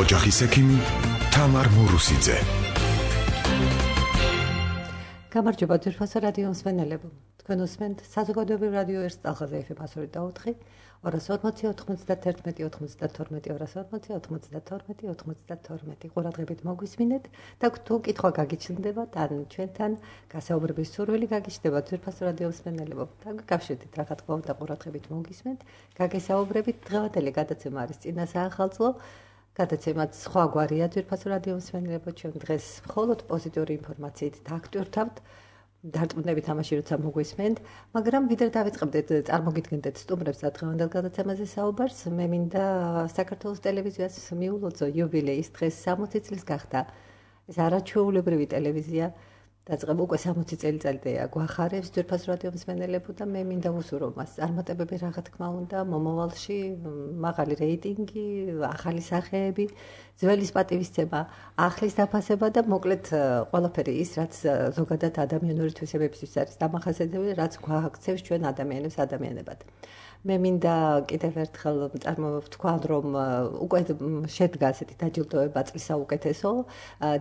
ოჯახის ექიმი თამარ მურუსიძე. გამარჯობა ძვირფასო რადიო მსმენელებო. თქვენ უსმენთ საზოგადოებრივ რადიო ერთ სტალხაზე FM 102.4 240-91-92 ყურადღებით მოგვისმინეთ და თუ კითხვა გაგიჩნდება თან ჩვენთან გასაუბრების სურვილი გაგიჩნდება ძვირფასო რადიო მსმენელებო. დაგიკავშირდით რა თქმა უნდა ყურადღებით მოგისმენთ. გაგესაუბრებით დღევანდელი გადაცემა არის წინა საახალწლო. გადაცემაც სხვაგვარია ძვირფასო რადიო მსმენელებო. ჩვენ დღეს მხოლოდ პოზიტიური ინფორმაციით დაგვტვირთავთ. დარწმუნებით ამაში როცა მოგვისმენთ, მაგრამ ვიდრე დავიწყებდეთ წარმოგიდგენდეთ სტუმრებს და დღევანდელ გადაცემაზე საუბარს, მე მინდა საქართველოს ტელევიზიას მიულოცო იუბილეის დღეს 60 წლის გახდა. ეს არაჩვეულებრივი ტელევიზია დაწყება უკვე 60 წელიწადია გვახარებს ძვირფასო რადიო მსმენელებო და მე მინდა ვუსურო მას წარმატებები რა თქმა უნდა მომავალში, მაღალი რეიტინგი, ახალი სახეები, ძველის პატივისცემა, ახლის დაფასება და მოკლედ ყველაფერი ის, რაც ზოგადად ადამიანური თვისებებისთვის არის დამახასიათებელი, რაც გვააქცევს ჩვენ ადამიანებს ადამიანებად. მე მინდა კიდევ ერთხელ ვთქვათ, რომ უკვე შედგა ასეთი დაჯილდოება წლის საუკეთესო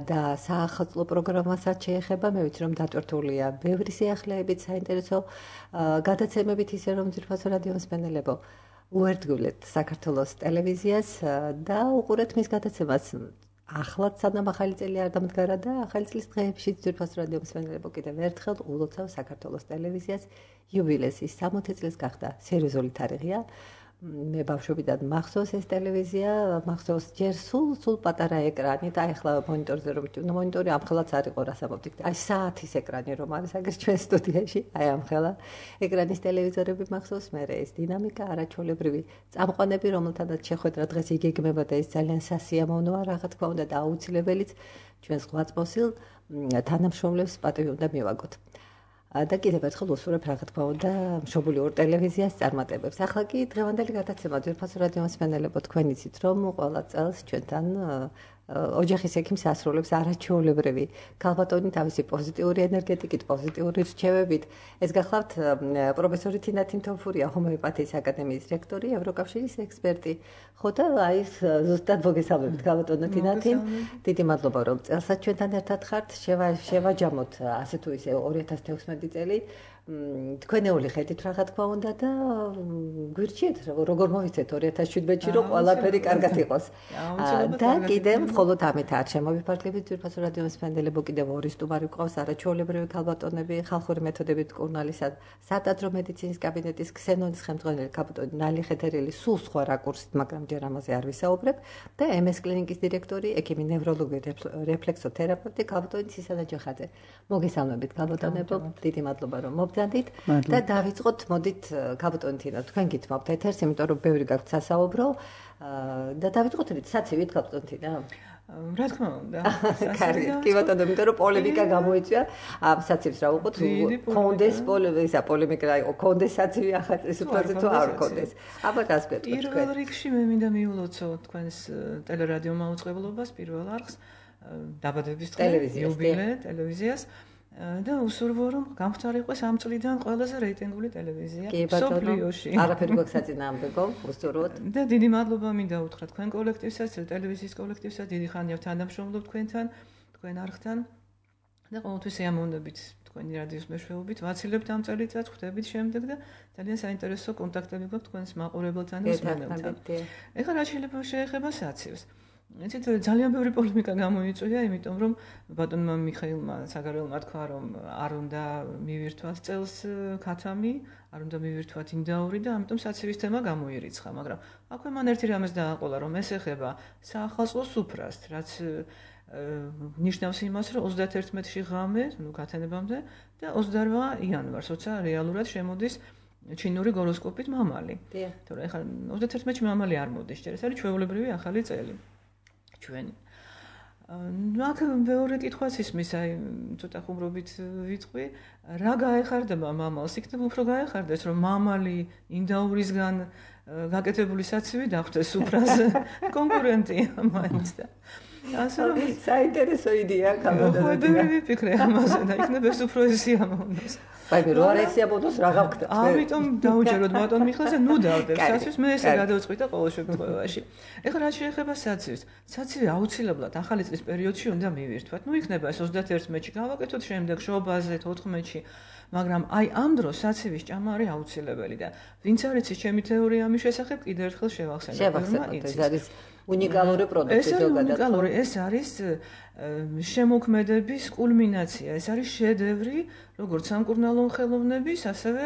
და საახალწლო პროგრამასაც შეეხება. მე ვიცი, რომ დატვირთულია ბევრი სიახლეებით, საინტერესო გადაცემებით, ისე რომ ძვირფასო რადიო მსმენელებო, უერთგულეთ საქართველოს ტელევიზიას და უყურეთ მის გადაცემას. ახლაც სანამ ახალი წელი არ დამდგარა და ახალი წლის დღეებში ძვირფასო რადიო მსმენელებო კიდევ ერთხელ ულოცავ საქართველოს ტელევიზიას იუბილეს. ის 60 წლის გახდა, სერიოზული თარიღია. მე ბავშვობიდან მახსოვს ეს ტელევიზია, მახსოვს ჯერ სულ პატარა ეკრანი და ახლა მონიტორზე რომ მონიტორი ამხელაც არ იყო რას ამბობთ. აი საათის ეკრანი რომ არის აგერ ჩვენ სტუდიაში, აი ამხელა ეკრანის ტელევიზორები მახსოვს, მე ეს დინამიკა არაჩვეულებრივი წამყვანები, რომელთანაც შეხვედრა დღეს იგეგმება და ეს ძალიან სასიამოვნოა რა თქმა უნდა და აუცილებელიც ჩვენს ღვაწლმოსილ თანამშრომლებს პატივი უნდა მივაგოთ. და კიდევ ერთხელ უსურვებ რა თქმა უნდა მშობული ორ ტელევიზიას წარმატებებს. ახლა კი დღევანდელი გადაცემა ძვირფასო რადიო მსმენელებო, თქვენ იცით რომ ყველა წელს ჩვენთან ოჯახის ექიმს ასრულებს არაჩვეულებრივი ქალბატონი თავისი პოზიტიური ენერგეტიკით, პოზიტიური რჩევებით. ეს გახლავთ პროფესორი თინა თინთოფურია, ჰომეოპათიის აკადემიის რექტორი, ევროკავშირის ექსპერტი. ხო და აი ზუსტად მოგესალმებით ქალბატონო თინათინ. დიდი მადლობა რომ წელსაც ჩვენთან ერთად ხართ. შევაჯამოთ ასე თუ ისე 2016 წელი. თქვენეული ხედით რა თქმა უნდა და გვირჩიეთ როგორ მოვიცეთ 2017-ში რომ ყველაფერი კარგად იყოს. და კიდევ მხოლოდ ამით არ შემოვიფარგლებით ძვირფასო რადიო მსმენელებო, კიდევ ორი სტუმარი გვყავს არაჩვეულებრივი ქალბატონები, ხალხური მეთოდებით მკურნალისა სატაძრო მედიცინის კაბინეტის ქსენონის ხელმძღვანელი ქალბატონი ნალი ხეთერელი, სულ სხვა რაკურსით, მაგრამ ჯერ ამაზე არ ვისაუბრებ და MS კლინიკის დირექტორი, ექიმი ნევროლოგი, რეფლექსოთერაპევტი ქალბატონი ცისანა ჯახაძე. მოგესალმებით ქალბატონებო, დიდი მადლობა რომ და დავიწყოთ, მოდით ქალბატონი თინა, თქვენ გითმობთ ეთერს, იმიტომ რომ ბევრი გაქვთ სასაუბრო და დავიწყოთ საცივით ქალბატონი თინა. რა თქმა უნდა. კარგი, კი ბატონო, იმიტომ რომ პოლემიკა გამოიწვია ამ საცივს რა უყოთ, კონდეს პოლემიკა, კონდეს საცივი ახალწლის უფლაზე თუ არ კონდეს. აბა რას გვეტყვით თქვენ? პირველ რიგში მე მინდა მიულოცო თქვენს ტელერადიო მაუწყებლობას პირველ არხს დაბადების დღე იუბილე ტელევიზიას. და უსურვო რომ გამხდარიყოს ამ წლიდან ყველაზე რეიტინგული ტელევიზია მსოფლიოში. არაფერი გვაქვს საწინააღმდეგო, უსურვოთ. და დიდი მადლობა მინდა უთხრა თქვენ კოლექტივსაც, ტელევიზიის კოლექტივსაც, დიდი ხანია თანამშრომლობ თქვენთან, თქვენ არხთან და ყოველთვის სიამოვნებით თქვენი რადიოს მეშვეობით ვაცილებთ ამ წელიწადს, ხვდებით შემდეგ და ძალიან საინტერესო კონტაქტები გვაქვს თქვენს მაყურებელთან და მსმენელთან. ეხლა რა შეეხება საცივს. იცით ძალიან ბევრი პოლემიკა გამოიწვია, იმიტომ რომ ბატონმა მიხეილმა საგარეულმა თქვა, რომ არ უნდა მივირთვათ წელს ქათამი, არ უნდა მივირთვათ ინდაური და ამიტომ საცივის თემა გამოირიცხა, მაგრამ აქვე მან ერთი რამეს დააყოლა, რომ ეს ეხება საახალწლო სუფრას, რაც ნიშნავს იმას, რომ 31-ში ღამე, გათენებამდე და 28 იანვარს, როცა რეალურად შემოდის ჩინური გოროსკოპით მამალი. თორე ახლა 31-ში მამალი არ მოდის, ჯერ ეს არის ჩვეულებრივი ახალი წელი. ჩვენი. აქ მეორე კითხვაც ისმის, აი ცოტა ხუმრობით ვიტყვი, რა გაეხარდება მამალს? იქნებ უფრო გაეხარდეს, რომ მამალი ინდაურისგან გაკეთებული საცივი დახვდეს სუფრაზე. კონკურენტია მაინც და ასე რომ საინტერესო იდეაა ხო ბევრი ვიფიქრე ამაზე და იქნებ ეს უფრო სიამოვნოს. აი რო არ ეს სიამოვნოს რა გავხდეთ? ამიტომ დაუჯეროთ ბატონ მიხელზე, ნუ დავდებ საცივს, მე ესე გადავწყვიტე და ყოველ შემთხვევაში. ეხლა რა შეეხება საცივს? საცივი აუცილებლად ახალი წლის პერიოდში უნდა მივირთვათ. ნუ იქნება ეს 31-ში გავაკეთოთ, შემდეგ შობაზე 14-ში. მაგრამ აი ამ დროს საცივის ჭამა არის აუცილებელი და ვინც არ იცის ჩემი თეორია ამის შესახებ, კიდევ ერთხელ შევახსენებ. ეს არის უნიკალური პროდუქტი ზოგადად. ეს არის შემოქმედების კულმინაცია, ეს არის შედევრი, როგორც სამკურნალო ხელოვნების, ასევე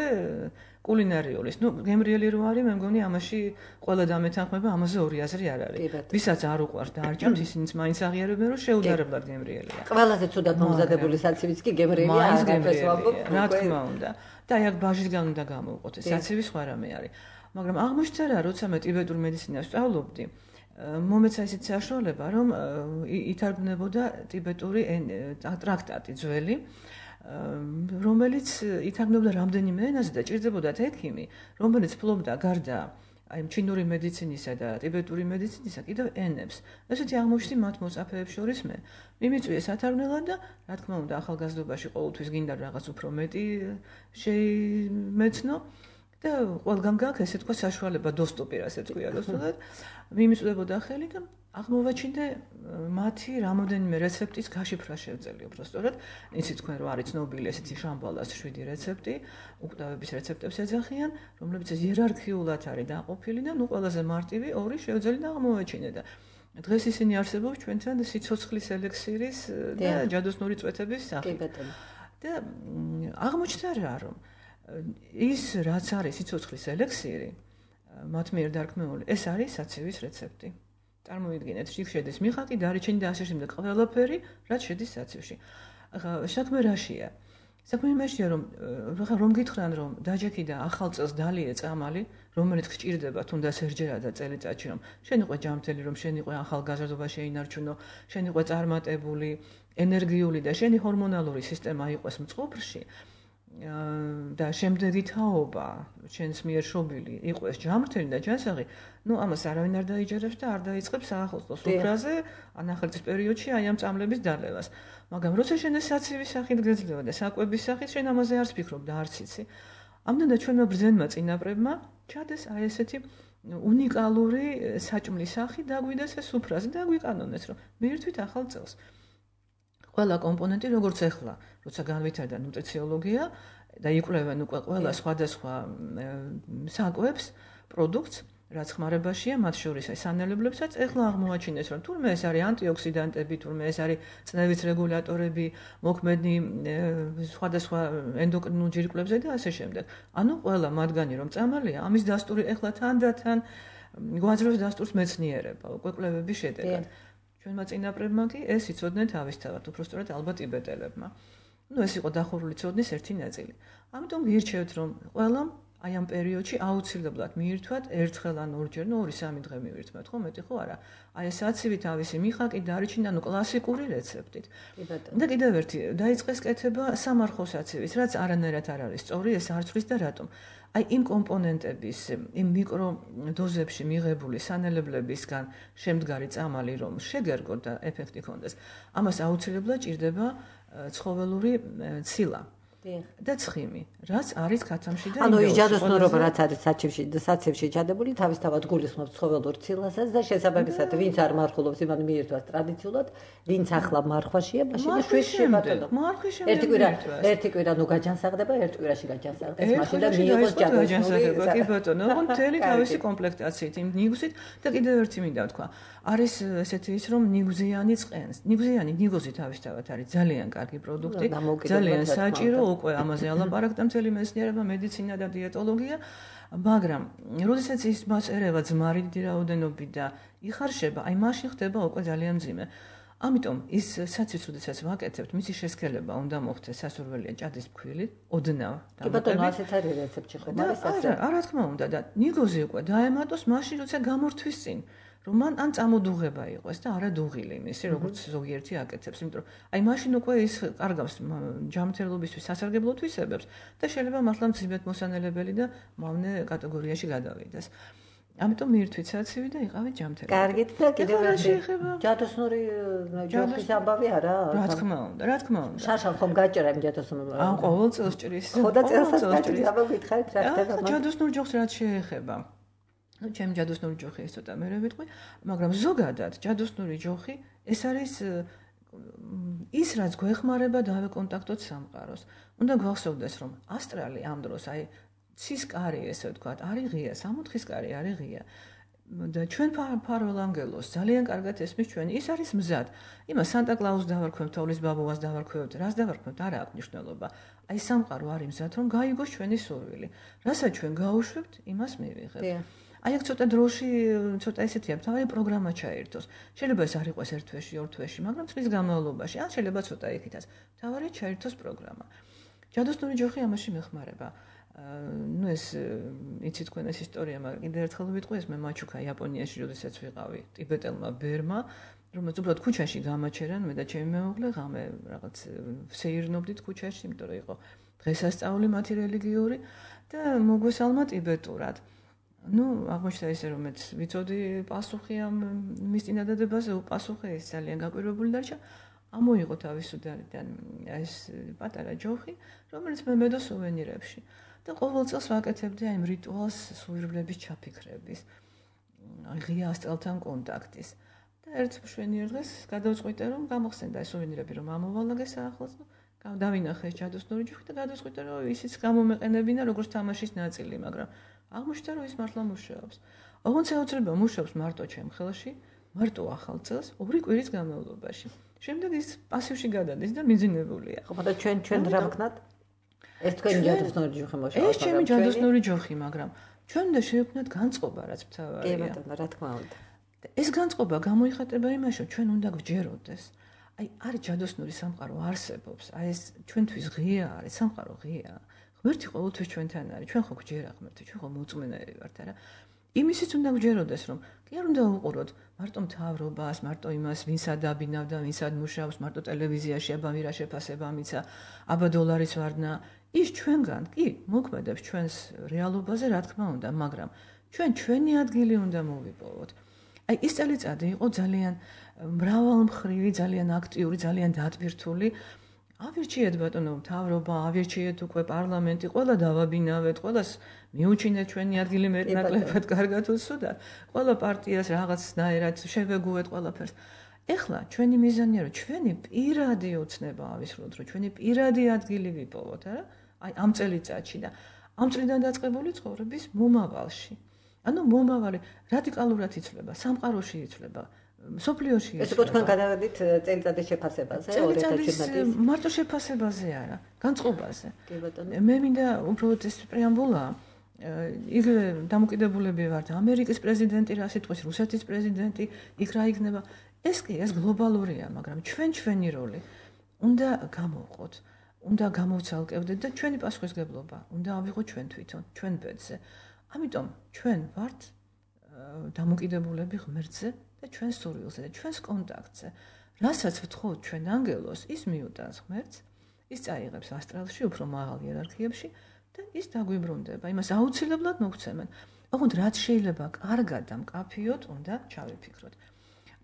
კულინარიულის. ნუ გემრიელი რო არის, მე მგონი ამაში ყველა დამეთანხმება, ამაზე ორი აზრი არ არის. ვისაც არ უყვარს და არ ჭამს, ისინიც მაინც აღიარებენ, რომ შეუდარებლად გემრიელია. ყველაზე ცუდად მომზადებული საცივიც კი გემრიელია, აღარ ვამბობ, რა თქმა უნდა. და აი აქ ბაჟისგან უნდა გამოვყოთ, საცივი სხვა რამე არის. მაგრამ აღმოჩნდა, როცა მე ტიბეტურ მედიცინას სწავლობდი, მომეცა ისეთი საშუალება, რომ ითარგმნებოდა ტიბეტური ტრაქტატი ძველი, რომელიც ითარგმნებოდა რამდენიმე ენაზე და ჭირდებოდათ ექიმი, რომელიც ფლობდა გარდა აი ჩინური მედიცინისა და ტიბეტური მედიცინისა კიდევ ენებს. ესეთი აღმოჩნდი მათ მოსწაფეებს შორის მე. მიმიწვიე სათარგმნელად და რა თქმა უნდა ახალგაზრდობაში ყოველთვის გინდა რაღაც უფრო მეტი შეიმეცნო და ყველგან გაქვს ესე თქვა საშუალება доступი რასაც ქვია რუსულად. მიმიწვდებოდა ხელი და აღმოვაჩინე მათი რამოდენიმე რეცეპტის გაშიფრა შევძელი უბრალოდ. იცით თქვენ რომ არის ცნობილი ესეთი შამბალას 7 რეცეპტი, უკვდავების რეცეპტებს ეძახიან, რომლებიც იერარქიულად არის დაყოფილი და ნუ ყველაზე მარტივი 2 შევძელი და აღმოვაჩინე და დღეს ისინი არსებობს ჩვენთან სიცოცხლის ელექსირის და ჯადოსნური წვეთების სახით. და აღმოჩნდა რა რომ ის რაც არის სიცოცხლის ელექსირი მათ მიერ დარქმეული, ეს არის საცივის რეცეპტი. წარმოიდგინეთ, იქ შედის მიხაკი, დარიჩენი და ასე შემდეგ ყველაფერი, რაც შედის საცივში. ახლა საქმე რაშია? საქმე იმაშია, რომ გითხრან, რომ დაჯექი და ახალ წელს დალიე წამალი, რომელიც გჭირდება თუნდაც ერთჯერად და წელიწადში, რომ შენ იყო ჯანმრთელი, რომ შენ იყო ახალგაზრდობა შეინარჩუნო, შენ იყო წარმატებული, ენერგიული და შენი ჰორმონალური სისტემა იყოს მწყობრში. და შემდეგი თაობა ჩვენს მიერ შობილი იყოს ჯანმრთელი და ჯანსაღი, ნუ ამას არავინ არ დაიჯერებს და არ დაიწყებს საახალწლო სუფრაზე ანახელწის პერიოდში აი ამ წამლების დალევას. მაგრამ როცა შენ ეს საცივის სახით გეძლევა და საკვების სახით შენ ამაზე არც ფიქრობ და არც იცი. ამდენად ჩვენმა ბრძენმა წინაპრებმა ჩადეს აი ესეთი უნიკალური საჭმლის სახი დაგვიდეს ეს სუფრაზე და გვიკანონეს, რომ მიირთვით ახალ წელს. ყველა კომპონენტი როგორც ახლა, როცა განვითარდა ნუტრიციოლოგია და იკვლევენ უკვე ყველა სხვადასხვა საკვებს, პროდუქტს, რაც ხმარებაშია, მათ შორის აი სანელებლებსაც, ახლა აღმოაჩინეს, რომ თურმე ეს არის ანტიოქსიდანტები, თურმე ეს არის წნევის რეგულატორები, მოქმედი სხვადასხვა ენდოკრინულ ჯირკვლებზე და ასე შემდეგ. ანუ ყველა მათგანი რომ წამალია, ამის დასტური ახლა თანდათან გვაძლევს დასტურს მეცნიერება, უკვე კვლევების შედეგად. ჩვენმა წინაპრებმა კი ეს იცოდნენ თავისთავად, უბრალოდ ალბათ ტიბეტელებმა. ნუ ეს იყო დახურული ცოდნის ერთი ნაწილი. ამიტომ გირჩევთ, რომ ყველამ აი ამ პერიოდში აუცილებლად მიირთვათ ერთხელ ან ორჯერ, ნუ 2-3 დღე მივირთმევთ, ხო, მეტი ხო არა. აი ეს საცივი თავისი მიხაკი დარიჩინა ნუ კლასიკური რეცეპტით. და კიდევ ერთი დაიწყეს კეთება სამარხო საცივის, რაც არანაირად არ არის სწორი, ეს არ ცვლის და რატომ? აი იმ კომპონენტების, იმ მიკრო დოზებში მიღებული სანელებლებისგან შემდგარი წამალი რომ შეგერგოთ და ეფექტი ჰქონდეს, ამას აუცილებლად ჭირდება ცხოველური ცილა. და ცხიმი, რაც არის ქათამში და ანუ იჯადოსნურობა რაც არის საცივში ჩადებული, თავისთავად გულისხმობს ცხოველურ ციලාსაც და შესაბამისად, ვინც არ მარხულობს, იმან მიირთვას ტრადიციულად, ვინც ახლა მარხვაშია, მაშინ შვიდში ბატონო. ერთი კვირა ნუ გაჯანსაღდება, ერთ კვირაში გაჯანსაღდეს, მაშინ და მიიღოს ჯადოსნური. კი ბატონო, ოღონდ მთელი თავისი კომპლექტაციით, იმ ნიგუსით და კიდევ ერთი მინდა ვთქვა. არის ესეთი ის რომ ნიგუზიანი წყენს. ნიგოზი თავისთავად არის ძალიან კარგი პროდუქტი, ძალიან საჭირო, უკვე ამაზე ალაპარაკდა მთელი მეცნიერება, მედიცინა და დიეტოლოგია, მაგრამ როდესაც ის მას ერევა ძმარი დიდი რაოდენობით და იხარშება, აი მაშინ ხდება უკვე ძალიან მძიმე. ამიტომ ის საცივს როდესაც ვაკეთებთ, მისი შესქელება უნდა მოხდეს სასურველია ჭადის ფქვილი, ოდნავ დამატებით. კი ბატონო, ასეც არის რეცეპტი ხომ არის ასე? არა თქმა უნდა და ნიგოზი უკვე დაემატოს მაშინ როცა გამორთვის წინ. რომ მან ან წამოდუღება იყოს და არა დუღილი მისი, როგორც ზოგიერთი აკეთებს, იმიტომ რომ აი მაშინ უკვე ის კარგავს ჯანმრთელობისთვის სასარგებლო თვისებებს და შეიძლება მართლა მძიმედ მოსანელებელი და მავნე კატეგორიაში გადავიდეს. ამიტომ მიირთვით საცივი და იყავით ჯამთელი. კარგით და კიდევ ეხლა რა ერთი შეეხება? ჯადოსნური ჯოხის ამბავი არა? რა თქმა უნდა. შარშან ხომ გაჭერა იმ ჯადოსნურ? ან ყოველ წელს ჭრის. ხო და წელსაც გაჭრის. აბა გითხარით რა ხდება? ჯადოსნურ ჯოხს რაც შეეხება. ჩემი ჯადოსნური ჯოხი ეს ცოტა მერე ვიტყვი, მაგრამ ზოგადად ჯადოსნური ჯოხი ეს არის ის რაც გვეხმარება დავეკონტაქტოთ სამყაროს. უნდა გვახსოვდეს რომ ასტრალი ამ დროს აი ცის კარი ესე ვთქვათ, არის ღია, 64-ის კარი არის ღია. და ჩვენ ფარველ ანგელოს ძალიან კარგად ესმის ჩვენ ის არის მზად. იმას სანტა კლაუს დავარქვევთ, თოვლის ბაბუას დავარქვევთ, რას დავარქვევთ, არა აქვს მნიშვნელობა. აი სამყარო არის მზად, რომ გაიგოს ჩვენი სურვილი. რასაც ჩვენ გაუშვებთ, იმას მივიღებთ. აი აქ ცოტა დროში, ცოტა ესეთია, თავი პროგრამა ჩაერთოს. შეიძლება ეს არ იყოს 1 თვეში, 2 თვეში, მაგრამ წლის განმავლობაში, ან შეიძლება ცოტა იქითაც. თავი ჩაერთოს პროგრამა. ჯადოსნური ჯოხი ამაში მეხმარება. ну ეს იცით თქვენ ეს ისტორია, მაგრამ კიდევ ერთხელ ვიტყვი ეს მე მაჩუკა იაპონიაში როდესაც ვიყავი ტიბეტელმა ბერმა, რომელიც უბრალოდ ქუჩაში გამაჩერან მე და ჩემი მეუღლე ღამე რაღაც ვსეირნობდით ქუჩაში, იმიტომ რომ იყო დღესასწაული მათი რელიგიური და მოგვესალმა ტიბეტურად. ну აღმოჩნდა ისე რომ მეც ვიცოდი პასუხი ამ მის წინადადებაზე, უპასუხე ეს ძალიან გაკვირვებული დარჩა. ამოიღო თავისუფლდან ეს პატარა ჯოხი, რომელიც მე მედო სუვენირებში. და ყოველ წელს ვაკეთებდი აი რიტუალს სუვირვლების ჩაფიქრების, ღია ასტრალთან კონტაქტის. და ერთ მშვენიერ დღეს გადავწყვიტე რომ გამახსენდა ეს სუვენირები რომ ამოვალაგე საახლოს, დავინახე ეს ჯადოსნური ჯოხი და გადავწყვიტე რომ ისიც გამომეყენებინა როგორც თამაშის ნაწილი, მაგრამ აღმოჩნდა რომ ის მართლა მუშაობს. ოღონდ შეუძლია მუშაობს მარტო ჩემ ხელში, მარტო ახალ წელს 2 კვირის განმავლობაში. შემდეგ ის პასივში გადადის და მიძინებულია. ხო, და ჩვენ რა ვქნათ? ეს თქვენი ჯადოსნური ჯოხი მოშავა. ეს ჩემი ჯადოსნური ჯოხი, მაგრამ ჩვენ უნდა შევქმნათ განწყობა, რაც მთავარია. კი ბატონო, რა თქმა უნდა. ეს განწყობა გამოიხატება იმაში, რომ ჩვენ უნდა გვჯეროდეს. აი, არის ჯადოსნური სამყარო არსებობს. აი ეს ჩვენთვის ღია არის, სამყარო ღია. ღმერთი ყოველთვის ჩვენთან არის. ჩვენ ხო გვჯერა ღმერთი, ჩვენ ხო მოწმენეები ვართ, არა? იმისიც უნდა გვჯეროდეს, რომ კი არ უნდა ვუყუროთ მარტო მთავრობას, მარტო იმას, ვინც ადაბინავდა, ვინც ადმუშავს, მარტო ტელევიზიაში აბა მირა შეფასება მიცა, აბა დოლარის ვარდნა. ის ჩვენგან კი მოქმედებს ჩვენს რეალობაზე, რა თქმა უნდა, მაგრამ ჩვენ ჩვენი ადგილი უნდა მოვიპოვოთ. აი ეს წელიწადი იყო ძალიან მრავალმხრივი, ძალიან აქტიური, ძალიან დატვირთული. ავირჩიეთ ბატონო მთავრობა, ავირჩიეთ უკვე პარლამენტი, ყველა დავაბინავეთ, ყველას მიუჩინეთ ჩვენი ადგილი მეტნაკლებად კარგად უსუდათ, ყველა პარტიას რაღაცნაირად შევეგუეთ ყველაფერს. ეხლა ჩვენი მიზანია რომ ჩვენი პირადი ოცნება ავისრულოთ, რომ ჩვენი პირადი ადგილი ვიპოვოთ, არა? აი ამ წელიწადში და ამ წლიდან დაწყებული ცხოვრების მომავალში. ანუ მომავალი რადიკალურად იცვლება, სამყაროში იცვლება, სოფლიოში იცვლება. ეს უკვე თქვენ გადავედით წელიწადის შეფასებაზე, 2017-ის. მარტო შეფასებაზე არა, განწყობაზე. კი ბატონო. მე მინდა უბრალოდ ეს პრეამბულა იგივე დამოკიდებულები ვართ ამერიკის პრეზიდენტი რა სიტყვის, რუსეთის პრეზიდენტი, იქ რა იქნება. ეს კი ეს გლობალურია, მაგრამ ჩვენი როლი უნდა გამოვყოთ, უნდა გამოვცალკევდეთ და ჩვენი პასუხისგებლობა უნდა ავიღოთ ჩვენ თვითონ, ჩვენ ბედზე. ამიტომ ჩვენ ვართ დამოკიდებულები ღმერთზე და ჩვენს სურვილზე და ჩვენს კონტაქტზე. რასაც ვთხოვთ ჩვენ ანგელოს, ის მიუტანს ღმერთს, ის წაიღებს ასტრალში, უფრო მაღალ იერარქიებში და ის დაგვიბრუნდება. იმას აუცილებლად მოგცემენ. ოღონდ რაც შეიძლება კარგად და მკაფიოდ უნდა ჩავიფიქროთ.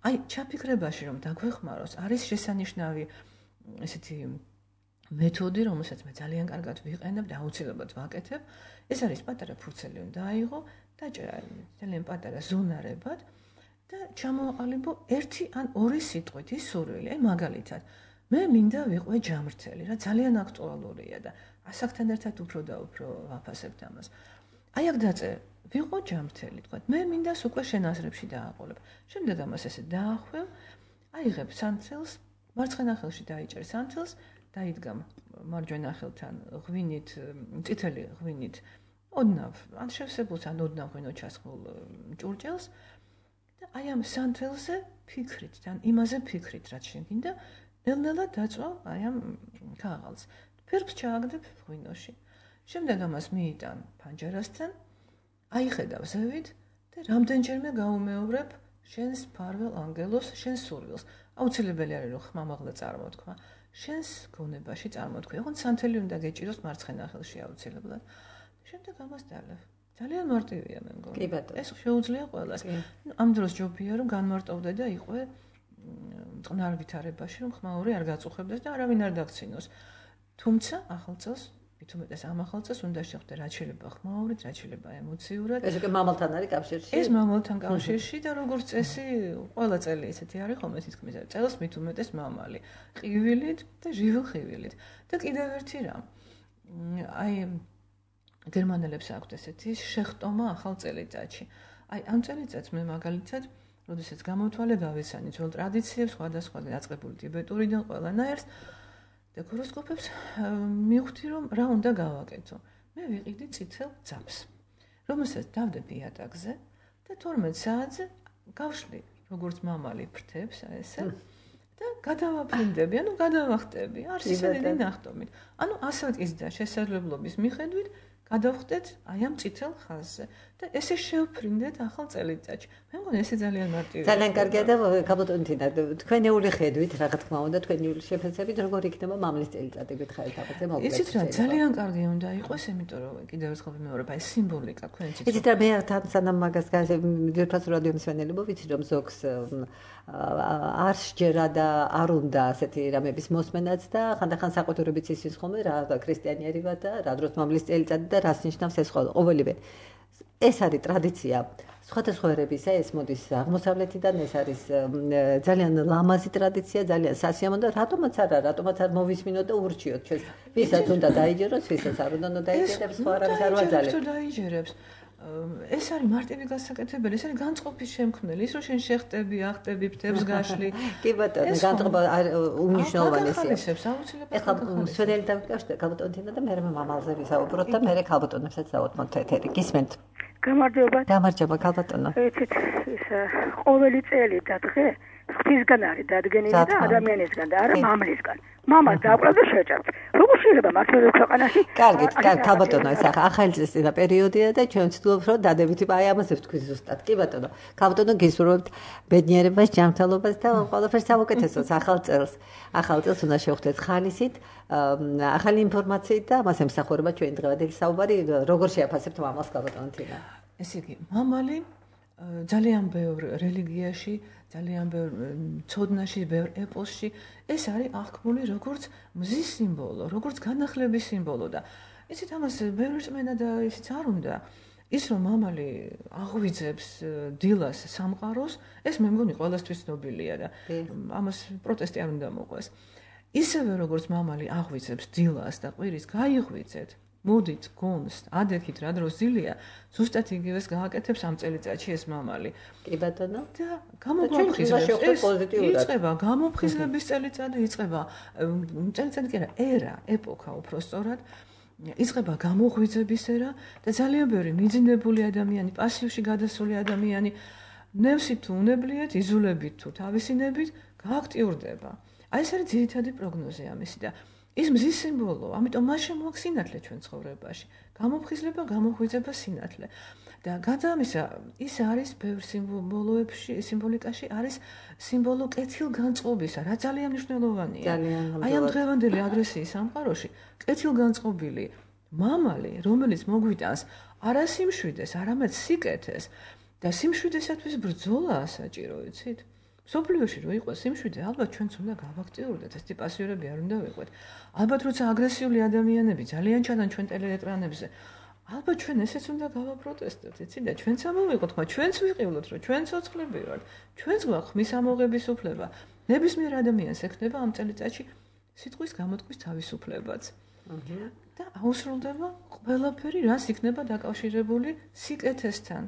აი, ჩაფიქრებაში რომ დაგვეხმაროს, არის შესანიშნავი ესეთი მეთოდი, რომელსაც მე ძალიან კარგად ვიყენებ და აუცილებლად ვაკეთებ. ეს არის პატარა ფურცელი უნდა აიღო, დაჭერა ძალიან პატარა ზონარებად და ჩამოაყალიბო 1 ან 2 სიტყვით ის სურვილი. აი მაგალითად, მე მინდა ვიყვე ჯამრთელი, რა ძალიან აქტუალურია და ასაკთან ერთად უფრო და უფრო ვაფასებთ ამას. აი აქ დაწერ, ვიყო ჯამრთელი, თქვა, მე მინდა უკვე შენ აზრებში დააყოლებ. შემდეგ ამას ესე დაახვევ, აიღებ სანთელს, მარცხენა ხელში დაიჭერ სანთელს, დაიდგამ მარჯვენა ხელთან ღვინით, წითელი ღვინით, ოდნავ, ან შევსებულს, ან ოდნავ ღვინო ჩასხმულ ჭურჭელს და აი ამ სანთელზე ფიქრით, თან იმაზე ფიქრით, რაც შენ გინდა, ნელ-ნელა დაწვა აი ამ ქაღალდს. ფერფს ჩააგდებ ღვინოში. შემდეგ ამას მიიტან ფანჯარასთან, აიხედავ ზევით და რამდენჯერმე გაუმეორებ შენს ფარველ ანგელოს, შენს სურვილს. აუცილებელი არის რომ ხმამაღლა წარმოთქვა. შენს გონებაში წარმოთქვი. ოღონდ სანთელი უნდა გეჭიროს მარცხენა ხელში აუცილებლად. შემდეგ ამას დალევ. ძალიან მარტივია მე მგონი. კი ბატონო. ეს შეუძლია ყველას. ამ დროს ჯობია რომ განმარტოვდე და იყვე წყნარ ვითარებაში, რომ ხმაური არ გაწუხებდეს და არავინ არ დაგცინოს. თუმცა ახალ წელს მით უმეტეს ამ ახალ წელს უნდა შეხვდე რაც შეიძლება ხმაურით, რაც შეიძლება ემოციურად. ეს უკვე მამალთან არის კავშირში? ეს მამალთან კავშირში და როგორც წესი, ყველა წელი ესეთი არის ხოლმე თითქმის წელს მით უმეტეს მამალი. ყივილით და ჟივილხივილით. და კიდევ ერთი რამ. აი გერმანელებს აქვთ ესეთი შეხტომა ახალ წელიწადში. აი ამ წელიწადს მე მაგალითად, როდესაც გამოვთვალე გავიცანი ძველ ტრადიციებს, სხვადასხვა დაწყებული ტიბეტურიდან ყველანაირს და ჰოროსკოპებს მივხვდი რომ რა უნდა გავაკეთო. მე ვიყიდი წითელ ძაბს, რომელსაც დავდები იატაკზე და 12 საათზე გავშლი, როგორც მამალი ფრთებს ესე და გადავაფრინდები, ანუ გადავახტები, არ ისედენი ნახტომით. ანუ ასაკის და შესაძლებლობის მიხედვით გადავხდეთ აი ამ წითელ ხაზზე და ესე შევფრინდეთ ახალ წელიწადში. მე მგონი ესე ძალიან მარტივია. ძალიან კარგია და გაბატონთინა, თქვენეული ხედვით, რა თქმა უნდა, თქვენეული შეფასებით, როგორ იქნება მამლის წელიწადი გითხარით აბაზე მოკლედ. იცით რა, ძალიან კარგი უნდა იყოს, იმიტომ რომ კიდევ ერთხელ ვიმეორებ, აი სიმბოლიკა თქვენ იცით. იცით რა, მე თან სანამ მაგას ძვირფას რადიო მსმენელებო ვიცი რომ ზოგს არ შეჯერა და არ უნდა ასეთი რამების მოსმენაც და ხანდახან საყოთურებიც ისის ხოლმე რა ქრისტიანიერი ვარ და რა დროს მამლის წელიწადი და რას ნიშნავს ეს ყოველივე. ეს არის ტრადიცია. სხვადასხვა ერებისა ეს მოდის აღმოსავლეთიდან, ეს არის ძალიან ლამაზი ტრადიცია, ძალიან სასიამოვნო და რატომაც არ მოვისმინოთ და ურჩიოთ ჩვენს ვისაც უნდა დაიჯეროს, ვისაც არ უნდა დაიჯერებს, სხვა რამის არ ვაძალებ. ეს დაიჯერებს. ეს არის მარტივი გასაკეთებელი, ეს არის განწყობის შემქმნელი, ის რომ შენ შეხტები, ახტები, ფრთებს გაშლი. კი ბატონო, განწყობა უმნიშვნელოვანესია. ეხლა მსვენელი დავიკავშირე გაბატონთინა და მე მამალზე ვისაუბროთ და მე გაბატონებსაც დავუთმოთ ეთერი. გისმენთ? გამარჯობა. გამარჯობა გაბატონო. იცით, ის ყოველი წელი და დღე ღვთისგან არის დადგენილი და ადამიანისგან და არა მამლისგან. მამას დაყრა და შეჭარბ. როგორ შეიძლება მართლაც ქვეყანაში? კარგი, გაბატონო, ეს ახალი წესწინა პერიოდია და ჩვენ ვცდილობთ რომ დადებითი აი ამაზე ვთქვი ზუსტად. კი ბატონო. გაბატონო გისურვებთ ბედნიერებას, ჯანმრთელობას და ყველაფერს საუკეთესოს ახალ წელს. ახალ წელს უნდა შევხვდეთ ხალისით, ახალი ინფორმაციით და ამას ემსახურება ჩვენი დღევანდელი საუბარი, როგორ შეაფასებთ მამალს გაბატონთინა? ესე იგი, მამალი ძალიან ბევრ რელიგიაში, ძალიან ბევრ ცოდნაში, ბევრ ეპოსში ეს არის აღქმული როგორც მზის სიმბოლო, როგორც განახლების სიმბოლო და იცით ამას ბევრი რწმენა და ისიც არ უნდა. ის რომ მამალი აღვიძებს დილას სამყაროს, ეს მე მგონი ყველასთვის ცნობილია და ამას პროტესტი არ უნდა მოყვეს. ისევე როგორც მამალი აღვიძებს დილას და ყვირის გაიღვიძეთ, მოდით გონს, ადექით რა დროს დილია, ზუსტად იგივეს გააკეთებს ამ წელიწადში ეს მამალი. კი ბატონო. და გამოგვაფხიზლებს იწყება გამოფხიზლების წელიწადი, იწყება წელიწადი კი არა, ერა, ეპოქა უფრო სწორად. იწყება გამოღვიძების ერა და ძალიან ბევრი მიძინებული ადამიანი, პასივში გადასული ადამიანი, ნევსით თუ უნებლიეთ, იზოლებით თუ თავისინებით გააქტიურდება. აი ეს არის ძირითადი პროგნოზი ამისი და ის მზის სიმბოლოა, ამიტომ მას შემოაქვს სინათლე ჩვენ ცხოვრებაში. გამოფხიზლება, გამოღვიძება, სინათლე. და გარდა ამისა, ის არის ბევრ სიმბოლოებში, სიმბოლიკაში არის სიმბოლო კეთილგანწყობისა, რა ძალიან მნიშვნელოვანია. აი ამ დღევანდელი აგრესიის სამყაროში კეთილგანწყობილი მამალი, რომელიც მოგვიტანს არა სიმშვიდეს, არამედ სიკეთეს და სიმშვიდესათვის ბრძოლაა საჭირო, იცით? სოფლიოში რო იყოს სიმშვიდე, ალბათ ჩვენც უნდა გავაქტიურდეთ, ეს ტიპასიურები არ უნდა ვიყვეთ. ალბათ როცა აგრესიული ადამიანები ძალიან ჩადან ჩვენ ტელეეკრანებზე, ალბათ ჩვენ ესეც უნდა გავაპროტესტოთ, იცით? და ჩვენც ამოვიყოთ, მაგრამ ჩვენც ვიყივლოთ, რომ ჩვენ ცოცხლები ვართ. ჩვენც გვაქვს ხმის ამოღების უფლება. ნებისმიერ ადამიანს ექნება ამ წელიწადში სიტყვის გამოთქმის თავისუფლებაც. და აუსრულდება ყველაფერი, რაც იქნება დაკავშირებული სიკეთესთან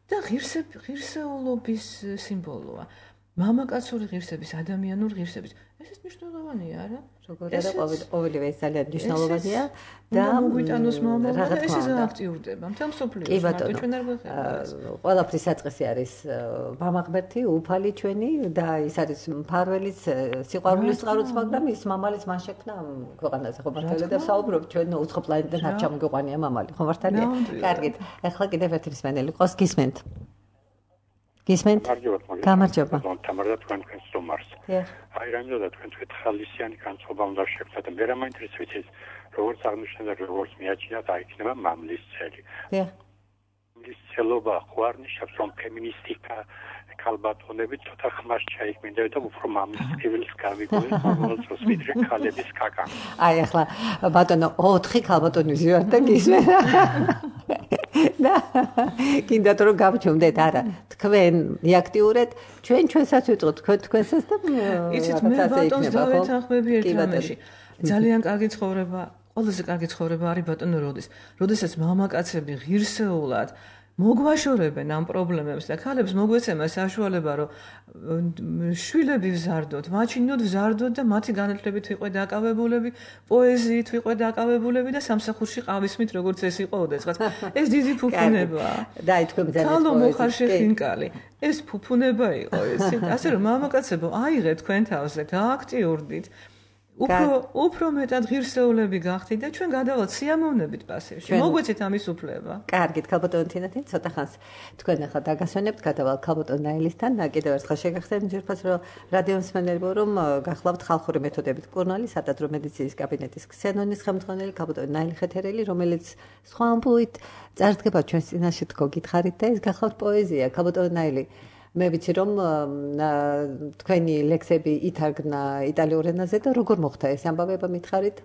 და ღირსეულობის სიმბოლოა. მამაკაცური ღირსების, ადამიანური ღირსების. ესეც მნიშვნელოვანია, არა? როგორ არა, ყოველივე ეს ძალიან მნიშვნელოვანია და მოგვიტანოს მამალი და ეს გააქტიურდება. მთელ მსოფლიოში მარტო ჩვენ არ გვეხება. ყველაფრის საწყისი არის მამა ღმერთი, უფალი ჩვენი და ის არის მფარველის, სიყვარულის წყაროც, მაგრამ ის მამალის მან შექმნა ქვეყანაზე, ხო მართალია და საუბრობ ჩვენ უცხო პლანეტიდან არ ჩამოგვიყვანია მამალი, ხო მართალია? კარგით. ახლა კიდევ ერთი მსმენელი ყავს, გისმენთ? გისმენთ? გამარჯობა. თამარ და თქვენ სტუმარს. აი რამე და თქვენ ხალისიანი განწყობა უნდა შექმნათ და მე რა მაინტერესებს ის როგორც აღნიშნეთ და როგორც მიაჩნიათ აი იქნება მამლის წელი. მის ცელობა ხوار ნიშნავს რომ ფემინისტიკა ქალბატონები ცოტა ხმას ჩაიქმნიდა და უფრო მამის პირველს გავიგოი ყოველთვის ვიდრე ქალების კაკა. აი ახლა ბატონო 4 ქალბატონი ვარ და გისმენ. და კიდევ რომ გავჩვენდეთ არა თქვენ რეაქტიურად ჩვენსაც ვიწყოთ თქვენსაც და იცით მე ბატონს დავეთანხმები ერთ რამეში. ძალიან კარგი ცხოვრება, ყველაზე კარგი ცხოვრება არის ბატონო როდესაც მამაკაცები ღირსეულად მოგვაშორებენ ამ პრობლემებს და ქალებს მოგვეცემა საშუალება რომ შვილები ვზარდოთ, მაჩინოთ ვზარდოთ და მათი განათლებით ვიყო დაკავებულები, პოეზიით ვიყო დაკავებულები და სამსახურში ყავისმით როგორც ეს იყო ოდესღაც. ეს დიდი ფუფუნებაა. დაი თქვენ ძალიან ქალო მოხარშე ხინკალი. ეს ფუფუნება იყო ეს. ასე რომ მამაკაცებო აიღეთ თქვენ თავზე, გააქტიურდით. უფრო მეტად ღირსეულები გახდით და ჩვენ გადავალთ სიამოვნებით პასივში. მოგვეცეთ ამის უფლება. კარგით, ქალბატონი თინათინ ცოტა ხანს თქვენ ახლა დაგასვენებთ, გადავალთ ქალბატონ ნაილისთან. კიდევ ერთხელ შეგახსენებთ ძირფას რომ რადიო მსმენელებო რომ გახლავთ ხალხური მეთოდებით კურნალი, სადაც რომ მედიცინის კაბინეტის ქსენონის ხელმძღვანელი ქალბატონი ნაილი ხეთერელი, რომელიც სხვა ამბულით წარდგება ჩვენს წინაშე თქო გითხარით და ეს გახლავთ პოეზია ქალბატონი ნაილი. მე ვიცი რომ თქვენი ლექსები ითარგმნა იტალიურ ენაზე და როგორ მოხდა ეს ამბავება მითხარით?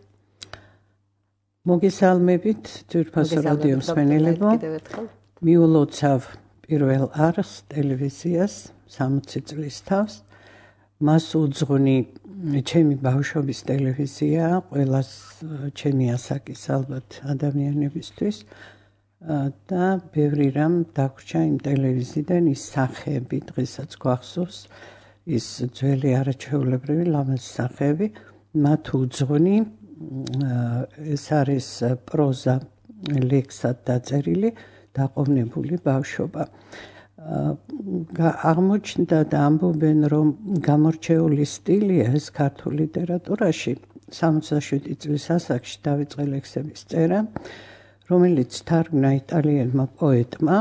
მოგესალმებით ძვირფასო რადიო მსმენელებო. მიულოცავ პირველ არხს ტელევიზიას 60 წლის თავს. მას უძღვნი ჩემი ბავშვობის ტელევიზია, ყველას ჩემი ასაკის ალბათ ადამიანებისთვის. და ბევრი რამ დაგვრჩა იმ ტელევიზიიდან ის სახეები დღესაც გვახსოვს ის ძველი არაჩვეულებრივი ლამაზი სახეები მათ უძღვნი ეს არის პროზა ლექსად დაწერილი დაყოვნებული ბავშვობა აღმოჩნდა და ამბობენ რომ გამორჩეული სტილია ეს ქართულ ლიტერატურაში 67 წლის ასაკში დავიწყე ლექსების წერა რომელიც თარგმნა იტალიელმა პოეტმა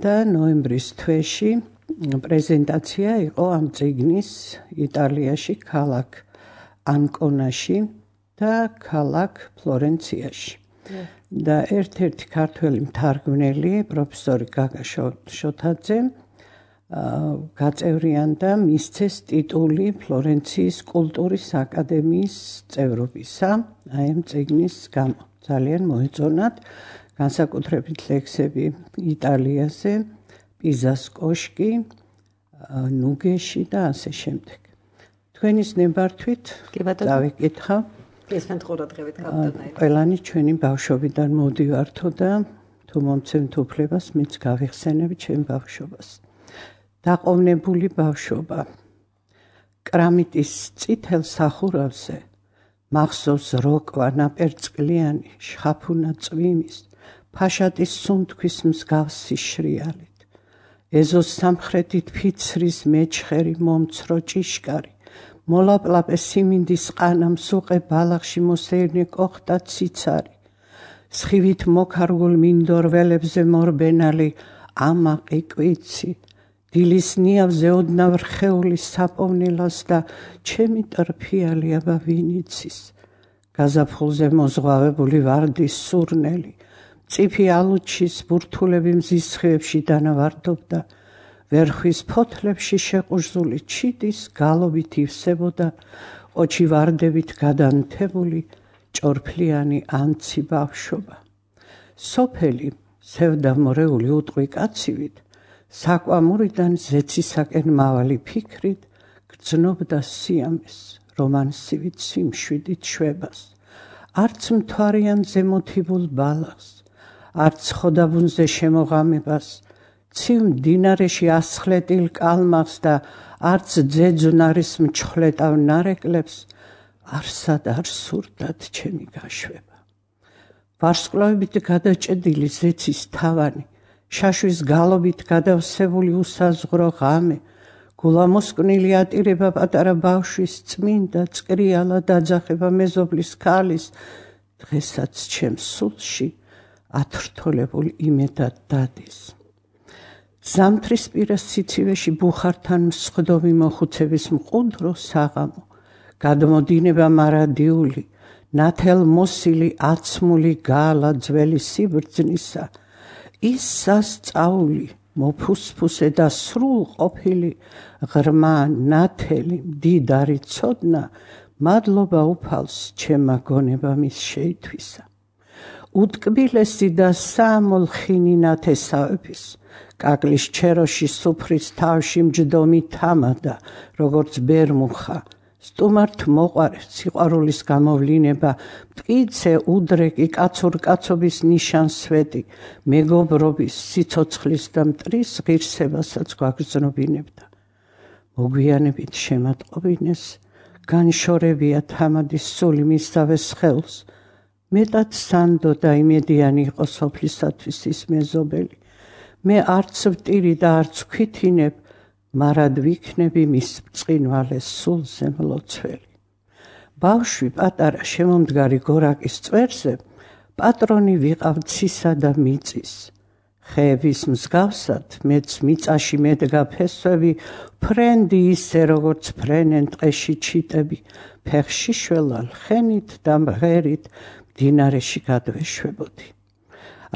და ნოემბრის თვეში პრეზენტაცია იყო ამ წიგნის იტალიაში ქალაქ ანკონაში და ქალაქ ფლორენციაში და ერთ-ერთი ქართველი მთარგმნელი პროფესორი გაგა შოთაძე გაწევრიანდა მისცეს ტიტული ფლორენციის კულტურის აკადემიის წევრობისა აი ამ წიგნის გამო ძალიან მოეწონათ განსაკუთრებით ლექსები იტალიაზე, პიზას კოშკი, ნუგეში და ასე შემდეგ. თქვენის ნებართვით დავიკითხავ. ესმენთ ყურადღებით ქალბატონი. ყველანი ჩვენი ბავშვობიდან მოდივართო და თუ მომცემთ უფლებას, მეც გავიხსენებ ჩემ ბავშვობას. დაყოვნებული ბავშვობა. კრამიტის წითელ სახურავზე მახსოვს როკვა ნაპერწკლიანი შხაფუნა წვიმის ფაშატის სუნთქვის მსგავსი შრიალით ეზოს სამხრეთით ფიცრის მეჩხერი მომცრო ჭიშკარი მოლაპლაპე siminდის ყანა მსუყე ბალახში მოსეირნე კოხტა ციცარი სხივით მოქარგულ მინდორველებზე მორბენალი ამაყი კვიცი დილის ნიავზე ოდნავ რხეული საპოვნელას და ჩემი ტრფიალი აბა ვინიცის გაზაფხულზე მოზღვავებული ვარდის სურნელი წიფი ალუჩის ბურთულები მზის სხივებში დანავარდობდა ვერხვის ფოთლებში შეყურძული ჩიტის გალობით ივსებოდა ყოჩი ვარდებით გადანთებული ჭორფლიანი ანცი ბავშვობა სოფელი სევდამორეული უტყვი კაცივით საკვამურიდან ზეცისაკენ მავალი ფიქრით გრძნობდა სიამეს რომანსივით სიმშვიდით შვებას არც მთვარიან ზემოთიბულ ბალახს არც ხოდაბუნზე შემოღამებას ცივ მდინარეში ასხლეტილ კალმახს და არც ძეძვნარის მჩხვლეტავ ნარეკლებს არსად არ სურდათ ჩემი გაშვება ვარსკვლავებით გადაჭედილი ზეცის თავანი შაშვის გალობით გადავსებული უსაზღვრო ღამე გულამოსკვნილი ატირება პატარა ბავშვის წმინდა წკრიალა დაძახება მეზობლის ქალის დღესაც ჩემს სულში ათრთოლებულ იმედად დადის ზამთრისპირას სიცივეში ბუხართან მსხდომი მოხუცების მყუდრო საღამო გადმოდინება მარადიული ნათელ მოსილი აცმული გაალა ძველი სიბრძნისა ტყის სასწაული მოფუსფუსე და სრულ ყოფილი ღრმა ნათელი მდიდარი ცოდნა მადლობა უფალს ჩემმა გონება მის შეითვისა უტკბილესი და საამოლხინი ნათესავების კაკლის ჩეროში სუფრის თავში მჯდომი თამადა როგორც ბერმუხა სტუმართ მოყარე სიყვარულის გამოვლინება მტკიცე უდრეკი კაცურკაცობის ნიშანსვეტი მეგობრობის სიცოცხლის და მტრის ღირსებასაც გვაგრძნობინებდა მოგვიანებით შემატყობინეს განშორებია თამადის სული მისავეს ხელს მეტად სანდო და იმედიანი იყო სოფლისათვის ის მეზობელი მე არც ვტირი და არც ქვითინებ მარად ვიქნები მის ბრწყინვალეს სულზე მლოცველი ბავშვი პატარა შემომდგარი გორაკის წვერზე პატრონი ვიყავ ცისა და მიწის ხეების მსგავსად მეც მიწაში მედგა ფესვები ფრენდი ისე როგორც ფრენენ ტყეში ჩიტები ფეხში შველალ ხენით და მღერით მდინარეში გადვეშვებოდი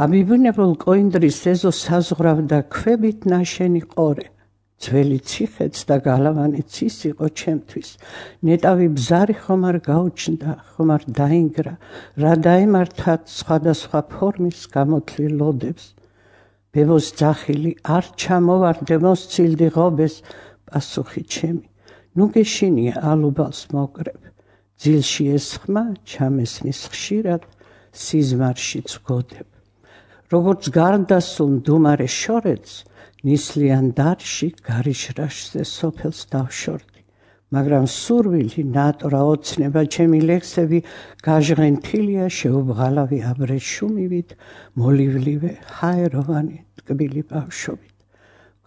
ამიბნებულ კოინდრის ეზო საზღვრავდა ქვებით ნაშენი ყორე ძველი ციხეც და გალავანიც ის იყო ჩემთვის ნეტავი ბზარი ხომ არ გაუჩნდა ხომ არ დაინგრა რა დაემართათ სხვადასხვა ფორმის გამოთლილ ლოდებს ბებოს ძახილი არ ჩამოვარდე მოსცილდი ღობეს პასუხი ჩემი ნუ გეშინია ალუბალს მოკრებ ძილში ეს ხმა ჩამესმის ხშირად სიზმარშიც ვგოდებ როგორც გარდასულ მდუმარე შორეთს ნისლიან დარში გარიშრაშზე სოფელს დავშორდი მაგრამ სურვილი ნატრა ოცნება ჩემი ლექსები გაჟღენთილია შეუბღალავი აბრეშუმივით მოლივლივე ჰაეროვანი ტკბილი ბავშვობით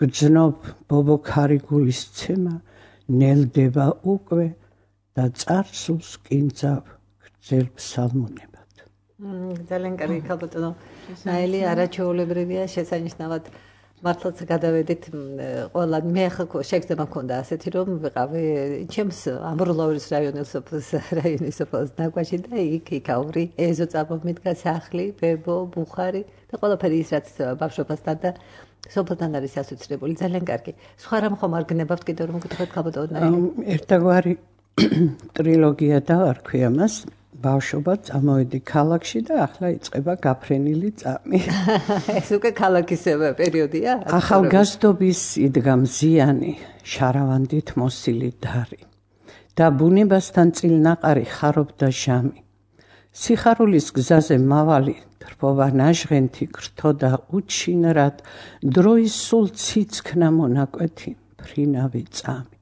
გრძნობ ბობოქარი გულის ცემა ნელდება უკვე და წარსულს კინძავ გრძელ ფსალმუნებად ძალიან კარგი ქალბატონო ნაელი არაჩვეულებრივია შესანიშნავად მართლაც გადავედით ყველა მე ახლა შეგრძნება მქონდა ასეთი რომ ვიყავი ჩემს ამბროლაურის რაიონის სოფელს ნაგვაში და იქ ავრი ეზო წამომიდგა სახლი ბებო ბუხარი და ყველაფერი ის რაც ბავშვობასთან და სოფელთან არის ასოცირებული ძალიან კარგი სხვა რამ ხომ არ გნებავთ კიდევ რომ გითხრათ ქალბატონო ერთგვარი ტრილოგია დავარქვი ამას ბავშვობა წამოვედი ქალაქში და ახლა იწყება გაფრენილი წამი. ეს უკვე ქალაქის პერიოდია? ახალგაზრდობის იდგა მზიანი, შარავანდით მოსილი დარი და ბუნებასთან წილნაყარი ხარობდა ჟამი. სიხარულის გზაზე მავალი დრბობა ნაჟღენთი გრთო და უჩინრად დროის სულ ციცქნა მონაკვეთი ფრინავი წამი.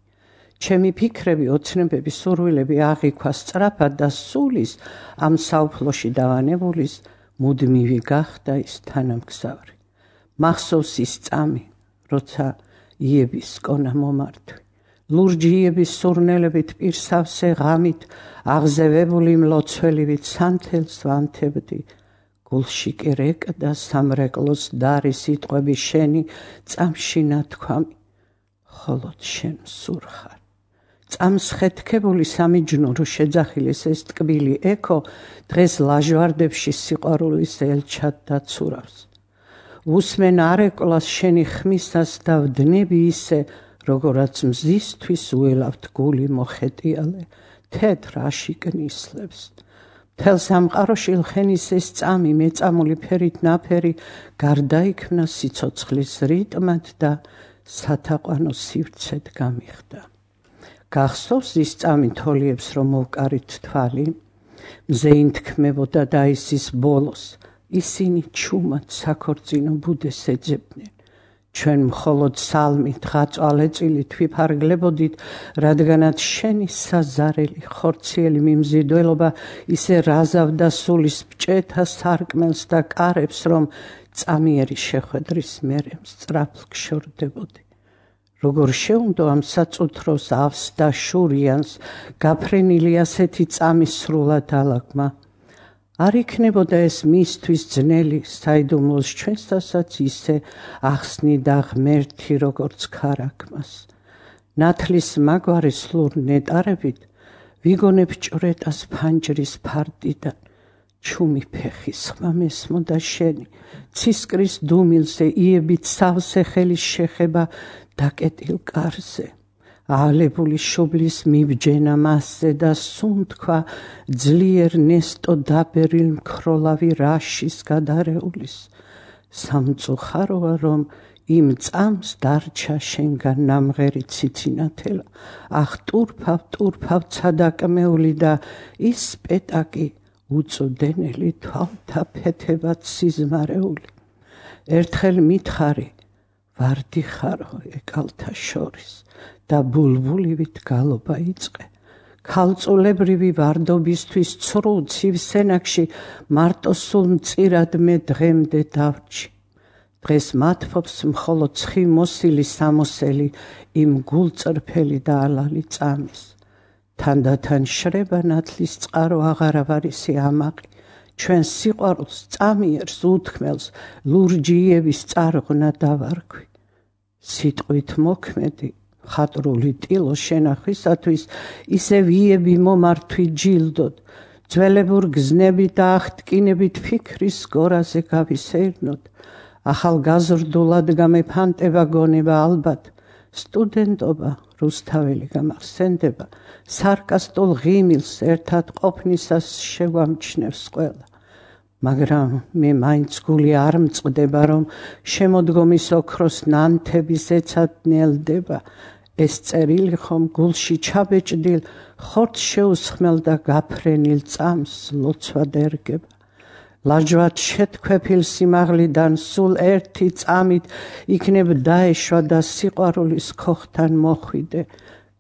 ჩემი ფიქრები, ოცნებები, სურვილები აღიქვა სწრაფად და სულის ამ საუფლოში დავანებულის მუდმივი გახდა ის თანამგზავრი. მახსოვს ის წამი, როცა იების კონა მომართვი. ლურჯი იების სურნელებით პირსავსე ღამით აღზევებული მლოცველივით სანთელს ვანთებდი. გულში კი რეკდა სამრეკლოს დარი სიტყვები შენი წამში ნათქვამი. ხოლოდ შენ სურხარ. წამს ხეთქებული სამიჯნურო შეძახილის ეს ტკბილი ექო დღეს ლაჟვარდებში სიყვარულის ელჩად დაცურავს. უსმენ არეკლას შენი ხმისას და ვდნები ისე, როგორაც მზისთვის უელავთ გული მოხეტიალე, თეთრ აშიკნისლებს. მთელ სამყაროში ლხენის ეს წამი მეწამული ფერით ნაფერი გარდაიქმნა სიცოცხლის რიტმად და სათაყვანო სივრცედ გამიხდა. გახსოვს ის წამი თოლიებს რომ მოვკარით თვალი, მზე ინთქმებოდა და ისის ბოლოს, ისინი ჩუმად საქორწინო ბუდეს ეძებდნენ. ჩვენ მხოლოდ სალმით ღაწვალეწილით ვიფარგლებოდით, რადგანაც შენი საზარელი ხორციელი მიმზიდველობა ისე რაზავდა სულის ბჭეთა სარკმელს და კარებს, რომ წამიერი შეხვედრის მერე სწრაფ გშორდებოდი. როგორ შეუნდო ამ საწუთროს ავს და შურიანს გაფრენილი ასეთი წამის სრულად ალაგმა. არ იქნებოდა ეს მისთვის ძნელი საიდუმლოს ჩვენსთასაც ისე ახსნიდა ღმერთი როგორც ქარაგმას. ნათლის მაგვარი სლურ ნეტარებით ვიგონებ ჭვრეტას ფანჯრის ფარდიდან. ჩუმი ფეხის ხმა მესმოდა შენი ცისკრის დუმილზე იებით სავსე ხელის შეხება დაკეტილ კარზე ალებული შუბლის მიბჯენა მასზე და სუნთქვა ძლიერ ნესტო დაბერილ მქროლავი რაშის გადარეულის სამწუხაროა რომ იმ წამს დარჩა შენგან ნამღერი ციცინათელა ახ ტურფავ ცადაკმეული და ის პეტაკი უწუდენელი თვალთა ფეთებად სიზმარეული ერთხელ მითხარი ვარდი ხარო ეკალთა შორის და ბულბულივით გალობა იწყე ქალწულებრივი ვარდობისთვის ცრუ ცივსენაკში მარტო სულ მწირად მე დღემდე დავრჩი დღეს მათფობს მხოლოდ ცხი მოსილი სამოსელი იმ გულწრფელი და ალალი წამის თანდათან შრება ნათლის წყარო აღარავარისი ამაყი ჩვენ სიყვარულს წამიერს უთქმელს ლურჯიების წარღნა დავარქვი სიტყვით მოქმედი ხატრული ტილო შენახვისათვის ისე ვიები მომართვი ჯილდოდ ძველებურ გზნებით და აღტკინებით ფიქრის გორაზე გავისეირნოთ ახალგაზრდულად გამეფანტება გონება ალბათ სტუდენტობა რუსთაველი გამახსენდება სარკასტულ ღიმილს ერთად ყოფნისას შეგვამჩნევს ყველა მაგრამ მე მაინც გული არ მწყდება რომ შემოდგომის ოქროს ნანთების ეცადნელდება ეს წერილი ხომ გულში ჩაბეჭდილ ხორცს შეუსხმელ და გაფრენილ წამს ლოცვად ერგება ლაჯვად შეთქვეფილ სიმაღლიდან სულ ერთი წამით იქნებ დაეშვა და სიყვარულის ქოხთან მოხვიდე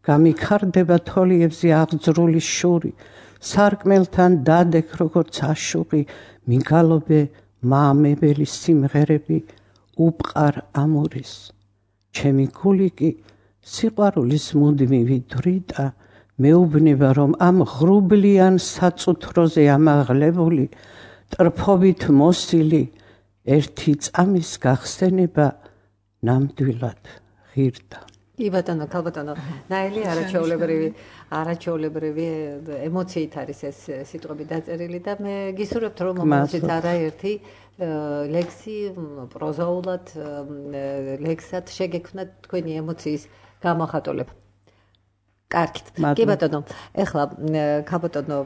გამიქარდება თოლიებზე აღძრული შური სარკმელთან დადეკ როგორც აშუღი მიგალობე მაამებელი სიმღერები უპყარ ამურის ჩემი გული კი სიყვარულის მუდმივი დრიტა მეუბნება რომ ამ ღრუბლიან საწუთროზე ამაღლებული ტრფობით მოსილი ერთი წამის გახსენება ნამდვილად ღირდა კი ბატონო ქალბატონო ნაელი არაჩვეულებრივი ემოციით არის ეს სიტყვები დაწერილი და მე გისურვებთ რომ მომავალშიც არაერთი ლექსი პროზაულად ლექსად შეგექმნათ თქვენი ემოციის გამოხატულება კარგით. კი ბატონო, ეხლა ქალბატონო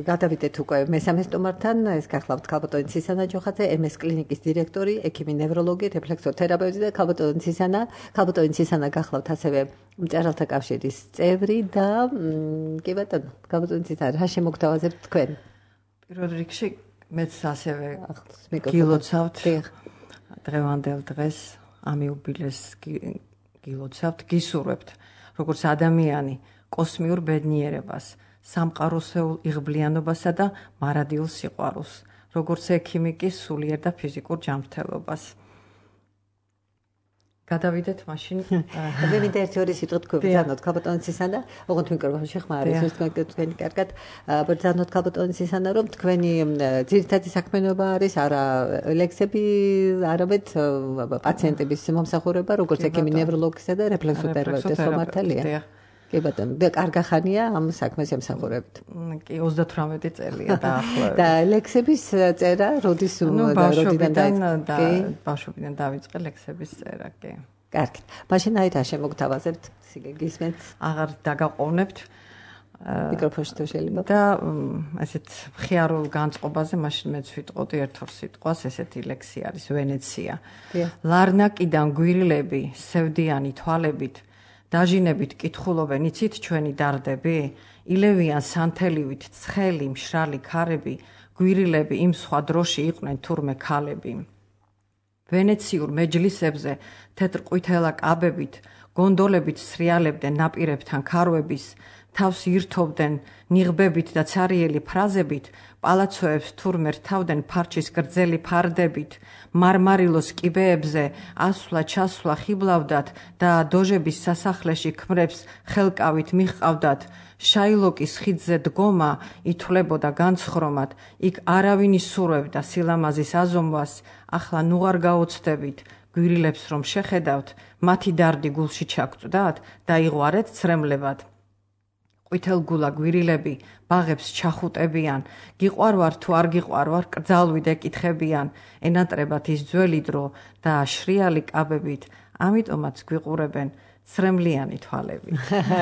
გადავიდეთ უკვე მესამე სტუმართან, ეს გახლავთ ქალბატონი ცისანა ჯოხაძე, MS კლინიკის დირექტორი, ექიმი ნევროლოგი, რეფლექსოთერაპევტი და ქალბატონი ცისანა გახლავთ ასევე მწერალთა კავშირის წევრი და კი ბატონო, ქალბატონი ცისანა რა შემოგთავაზებთ თქვენ? პირველ რიგში მეც ასევე გილოცავთ დღევანდელ დღეს ამ იუბილეს გილოცავთ, გისურვებთ როგორც ადამიანი კოსმიურ ბედნიერებას, სამყაროსეულ იღბლიანობასა და მარადიულ სიყვარულს, როგორც ექიმი კი სულიერ და ფიზიკურ ჯანმრთელობას. გადავიდეთ მაშინ. მე მინდა ერთი სიტყვით გვბრძანოთ ქალბატონი ცისანა, ოღონდ მიკროფონში ხმარეს, თქვენი კარგად ბრძანოთ ქალბატონი ცისანა, რომ თქვენი ძირითადი საქმიანობა არის არა ლექსები, არამედ პაციენტების მომსახურება, როგორც ექიმი ნევროლოგისა და რეფლექსოთერაპევტის ხომართალია. კი ბატონო, და კარგახანია ამ საქმეს ემსახურებთ. კი 38 წელია დაახლოებით. და ლექსების წერა ბავშვობიდან დავიწყე ლექსების წერა, კი. კარგით. მაშინ აი რა შემოგთავაზებთ? გისმენთ? აღარ დაგაყოვნებთ. მიკროფონში თუ შეიძლება. და ესეთ მხიარულ განწყობაზე მაშინ მეც ვიტყოდი ერთ-ორ სიტყვას, ესეთი ლექსი არის ვენეცია. ლარნაკიდან გვირილები, სევდიანი თვალებით დაჟინებით კითხულობენ, იცით ჩვენი დარდები? ილევიან სანთელივით ცხელი, მშრალი ქარები, გვირილები იმ სხვა დროში იყვნენ თურმე ქალები. ვენეციურ მეჯლისებზე თეთრ ყვითელა კაბებით, გონდოლებით სრიალებდნენ ნაპირებთან ქარვების, თავს ირთობდნენ ნიღბებით და ცარიელი ფრაზებით, პალაცოებს თურმე რთავდნენ ფარჩის გრძელი ფარდებით, მარმარილოს კიბეებზე ასვლა-ჩასვლა ხიბლავდათ და დოჟების სასახლეში ქმრებს ხელკავით მიჰყავდათ, შაილოკის ხიდზე დგომა ითვლებოდა განცხრომად, იქ არავინ ისურვებდა სილამაზის აზომვას, ახლა ნუ არ გაოცდებით, გვირილებს რომ შეხედავთ, მათი დარდი გულში ჩაგწვდათ და იღوارეთ ცრემლებად. ყვითელგულა გვირილები ბაღებს ჩახუტებიან, გიყვარვარ თუ არ გიყვარვარ, კრძალვით ეკითხებიან, ენატრებათ ის ძველი დრო და შრიალი კაბებით, ამიტომაც გვიყურებენ ცრემლიანი თვალები.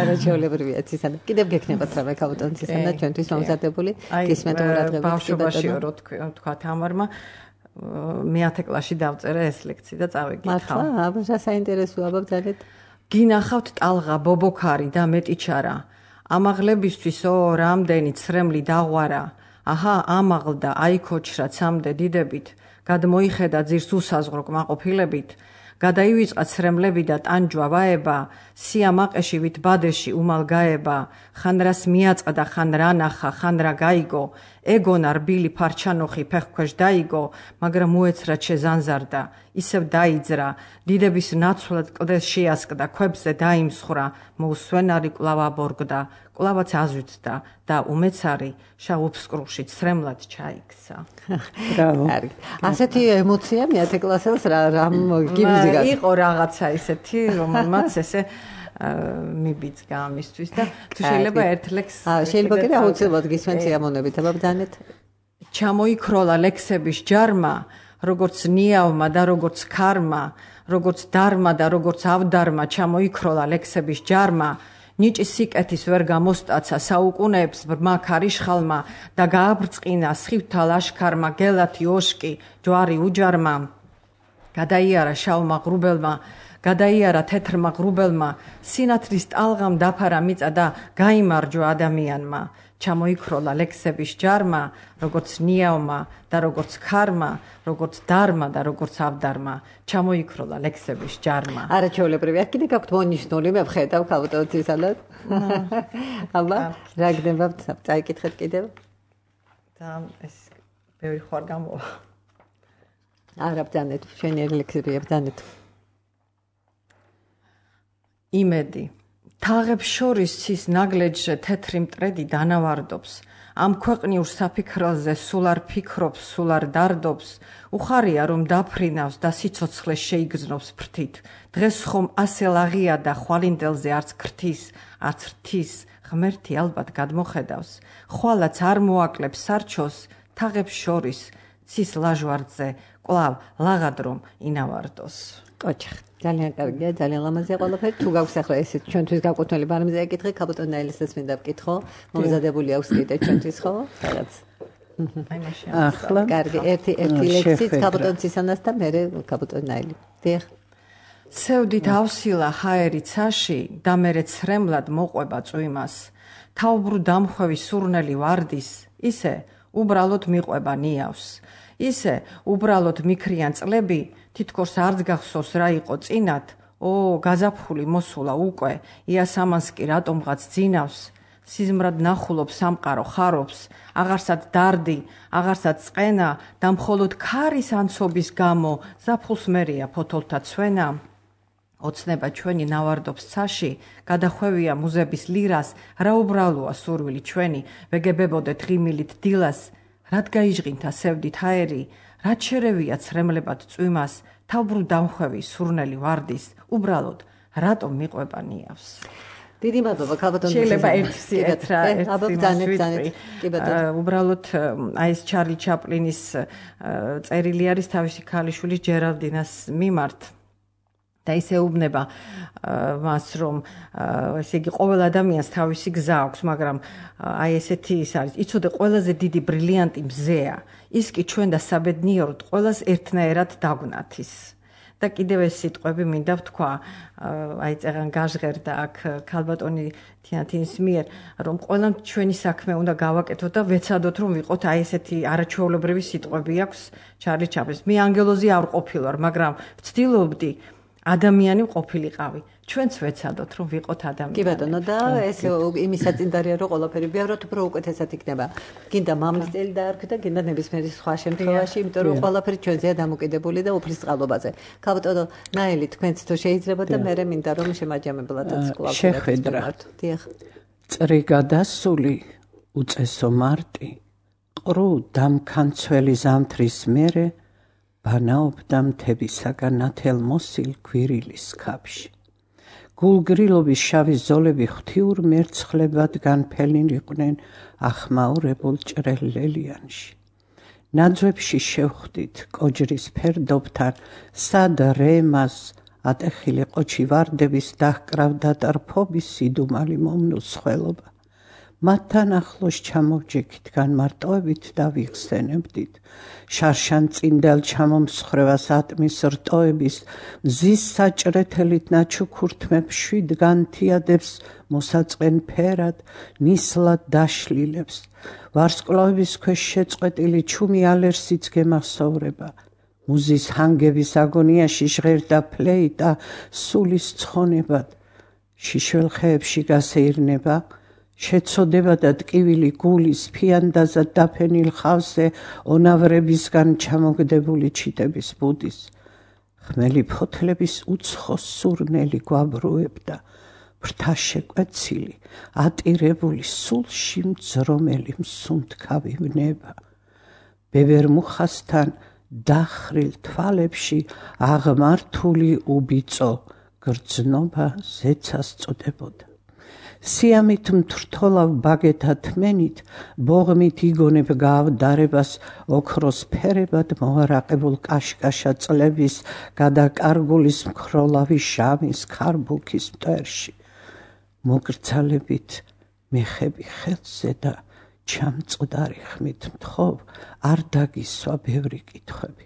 რა ჩვეულებრივია ცისანა. კიდევ გექნებათ რამე ქალბატონ ცისანა ჩვენთვის მომზადებული გისმენთ ყურადღებით. ბავშვობაში რო თქვა თამარმა მე-10 კლასში დავწერე ეს ლექცია და წავიკითხავ. მართლა, აბა საინტერესოა, აბა ბძანეთ. გინახავთ ტალღა, ბობოქარი და მეტიჩარა. ამაღლებისთვისო რამდენი ცრემლი დაღვარა. აჰა, ამაღლდა, აიქოჩრა ცამდე დიდებით. გადმოიხედა ძირს უსაზღრო კმაყოფილებით. გადაივიწყა ცრემლები და ტანჯვა ვაება, სიამაყეში ვით ბადეში უმალ გაება, ხან რას მიაწყდა, ხან რა ნახა, ხან რა გაიგო, ეგონა რბილი ფარჩანოხი ფეხქვეშ დაიგო, მაგრამ მოეცრა შეზანზარდა, ისევ დაიძრა, დიდების ნაცვლად კლდეს შეასკდა, ქვებზე დაიმსხრა, მოუსვენარი კვლავ აბორგდა, კვლავაც აზვიცდა და უმეცარი შავუფსკრუში ცრემლად ჩაიქცა. ბრავო. ასეთი ემოცია მე-10 კლასელს რამ გიბზი იყო რაღაცა ისეთი, რომელმაც ესე მიბიძგა ამისთვის და თუ შეიძლება ერთ ლექს შეიძლება კიდე აუცილებლად გისმენთ სიამოვნებით, აბა ბძანეთ. ჩამოიქროლა ლექსების ჯარმა, როგორც ნიავმა და როგორც ქარმა, როგორც დარმა და როგორც ავდარმა, ჩამოიქროლა ლექსების ჯარმა, ნიჭი სიკეთის ვერ გამოსტაცა საუკუნეებს ბრმა ქარიშხალმა და გააბრწყინა სხივთა ლაშქარმა გელათი ოშკი ჯვარი უჯარმა. გადაიარა შავმა ღრუბელმა, გადაიარა თეთრმა ღრუბელმა, სინათლის ტალღამ დაფარა მიწა და გაიმარჯვა ადამიანმა. ჩამოიქროლა ლექსების ჯარმა, როგორც ნიავმა და როგორც ქარმა, როგორც დარმა და როგორც ავდარმა, ჩამოიქროლა ლექსების ჯარმა. არა ჩვეულებრივია, კიდე გაქვთ მონიშნული, მე ვხედავ ქალბატონ ცისანას. აბა, რა გნებავთ, წაიკითხეთ კიდევ? და ეს ბევრი ხوار გამოვა. არა ბძანეთ, შენიერი ლექსებია ბძანეთ. იმედი თაღებს შორის ცის ნაგლეჯზე თეთრი მტრედი დანავარდობს. ამ ქვეყნიურ საფიქროზე სულ არ ფიქრობს, სულ არ დარდობს. უხარია რომ დაფრინავს და სიცოცხლე შეიგზნობს ფრთით. დღეს ხომ ასე ლაღია და ხვალინდელზე არც ქრთის, არც რთის, ღმერთი ალბათ გადმოხედავს. ხვალაც არ მოაკლებს სარჩოს, თაღებს შორის ცის ლაჟვარდზე კვლავ ლაღად რომ ინავარდოს. კოჩახ. ძალიან კარგია, ძალიან ლამაზია ყველაფერი. თუ გაქვს ახლა ესეთ ჩვენთვის გაკუთვნილი ბარემზე ეკითხე, ქალბატონ ნაილისას მინდა ვკითხო. მომზადებული აქვს კიდე ჩვენთვის ხო? რაღაც. აი მაშინ. ახლა კარგი, ერთი ლექსიც ქალბატონ ცისანას და მე ქალბატონ ნაილი. დიახ. სევდით ავსილა ჰაერი ცაში და მერე ცრემლად მოყვება წვიმას. თავბრუ დამხვევი სურნელი ვარდის, ისე უბრალოდ მიყვება ნიავს. ისე უბრალოდ მიქრიან წლები, თითქოს არც გახსოვს რა იყო წინათ, გაზაფხული მოსულა უკვე, იასამანს კი რატომღაც ძინავს, სიზმრად ნახულობს სამყარო ხარობს, აღარსად დარდი, აღარსად წყენა და მხოლოდ ქარის ანცობის გამო ზაფხულს მერია ფოთოლთა ცვენა. ოცნება ჩვენი ნავარდობს ცაში, გადახვევია მუზების ლირას, რა უბრალოა სურვილი ჩვენი, ვეგებებოდეთ ღიმილით დილას, რად გაიჟღინთა სევდით ჰაერი, რაც შერევია ცრემლებად წვიმას, თავბრუ დამხვევი სურნელი ვარდის, უბრალოდ რატომ მიყვება ნიავს. დიდი მადლობა ქალბატონ. შეიძლება ერთ აბა ბძანეთ. კი ბატონო. უბრალოდ აი ეს ჩარლი ჩაპლინის წერილი არის თავისი ქალიშვილის ჯერალდინას მიმართ. და ისე უბნება მას რომ ესე იგი ყოველ ადამიანს თავისი გზა აქვს, მაგრამ აი ესეთი ის არის. იცოდე ყველაზე დიდი ბრილიანტი მზეა. ის კი ჩვენ და საბედნიეროდ ყველას ერთნაირად დაგვნათის. და კიდევ ეს სიტყვები მინდა ვთქვა, აი წეღან გაჟღერდა აქ ქალბატონი თიანთინის მიერ, რომ ყველამ ჩვენი საქმე უნდა გავაკეთოთ და ვეცადოთ რომ ვიყოთ აი ესეთი არაჩვეულებრივი სიტყვები აქვს ჩარლი ჩაპლინის. მე ანგელოზი არ ყოფილვარ, მაგრამ ვცდილობდი ადამიანი ყოფილიყავი. ჩვენც ვეცადოთ რომ ვიყოთ ადამიანი. კი ბატონო და ეს იმის საწინდარია რომ ყველაფერი ბევრად უფრო უკეთესად იქნება. გინდა მამლის წელი დაარქვი და გინდა ნებისმიერი სხვა შემთხვევაში, იმიტომ რომ ყველაფერი ჩვენზეა დამოკიდებული და უფლის წყალობაზე. ქალბატონო ნაილი თქვენც თუ შეიძლება და მე მინდა რომ შემაჯამებლადაც კვლავ შეხვედრა. დიახ. წრიგა დასული უწესო მარტი, ყრუ დამქანცველი ზამთრის მერე ბანაობდა მთებისაგან ათელმოსილ გვირილის ქაფში. გულგრილობის შავი ზოლები ღვთიურ მერცხლებად განფენილიყვნენ ახმაურებულ ჭრელ ლელიანში. ნაძვებში შევხვდით კოჯრის ფერდობთან, სად რემას ატეხილი ყოჩი ვარდების დაჰკრავდა ტრფობის სიდუმალი მომნუცხველობა. მათთან ახლოს ჩამოვჯექით განმარტოებით და ვიხსენებდით. შარშან წინდელ ჩამომსხრევას ატმის რტოების, მზის საჭრეთელით ნაჩუქურთმებს შვიდ განთიადებს მოსაწყენ ფერად, ნისლად დაშლილებს. ვარსკვლავების ქვეშ შეწყვეტილი ჩუმი ალერსიც გემახსოვრება. მუზის ჰანგების აგონიაში ჟღერდა ფლეიტა სულის ცხონებად. შიშველ ხეებში გასეირნება, შეცოდება და ტკივილი გულის ფიანდაზად დაფენილ ხავზე ონავრებისგან ჩამოგდებული ჩიტების ბუდის. ხმელი ფოთლების უცხო სურნელი გვაბრუებდა, ფრთა შეკვეცილი, ატირებული სულში მძრომელი მსუნთქავი ვნება. ბებერ მუხასთან დახრილ თვალებში აღმართული უბიწო გრძნობა ზეცას წოდებოდა. სიამით მთრთოლავ ბაგეთა თმენით, ბოღმით იგონებ გაავდარებას ოქროს ფერებად მოარაყებულ კაშკაშა წლების გადაკარგულის მქროლავი ჟამის ქარბუქის მტერში. მოგრძალებით მეხები ხელზე და ჩამწყდარი ხმით მთხოვ, არ დაგისვა ბევრი კითხვები.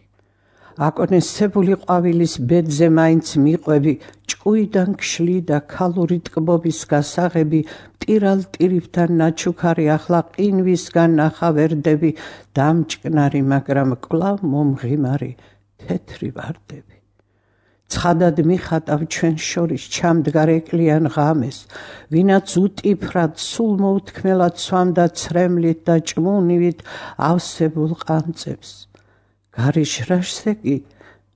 აკონესებული ყვავილის ბედზე მაინც მიყვები, ჭკუიდან გშლი და ქალური ტკბობის გასაღები, მტირალ ტირიფთან ნაჩუქარი ახლა ყინვისგან ნახავერდები, დამჭკნარი, მაგრამ კვლავ მომღიმარი თეთრი ვარდები. ცხადად მიხატავ ჩვენ შორის ჩამდგარ ეკლიან ღამეს, ვინაც უტიფრად სულ მოუთქმელად სვამდა ცრემლით და ჭმუნივით ავსებულ ყანწებს. გარიშრაშზე კი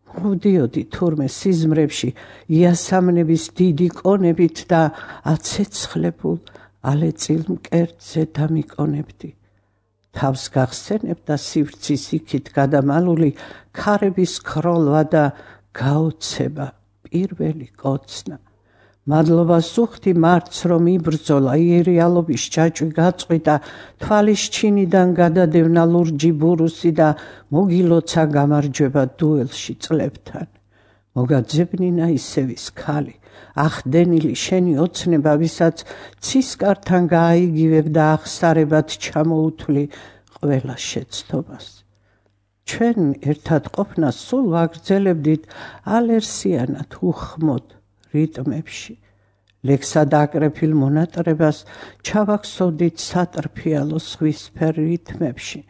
მოვდიოდი თურმე სიზმრებში იასამნების დიდი კონებით და აცეცხლებულ ალეწილ მკერდზე დამიკონებდი. თავს გახსენებდა სივრცის იქით გადამალული ქარების ქროლვა და გაოცება პირველი კოცნა. მადლობას უხდი მარც რომ იბრძოლა, ირიალობის ჯაჭვი გაწყვიტა, თვალის ჩინიდან გადადევნა ლურჯი ბურუსი და მოგილოცა გამარჯვება დუელში წლებთან. მოგაძებნინა ისევის ქალი, ახდენილი შენი ოცნება, ვისაც ცისკართან გააიგივებ და ახსარებად ჩამოუთვლი ყველა შეცდომას. ჩვენ ერთად ყოფნას სულ ვაგრძელებდით ალერსიანად უხმოდ რიტმებში. ლექსად აკრეფილ მონატრებას ჩავაქსოვდით სატრფიალო სხვისფერ რითმებში.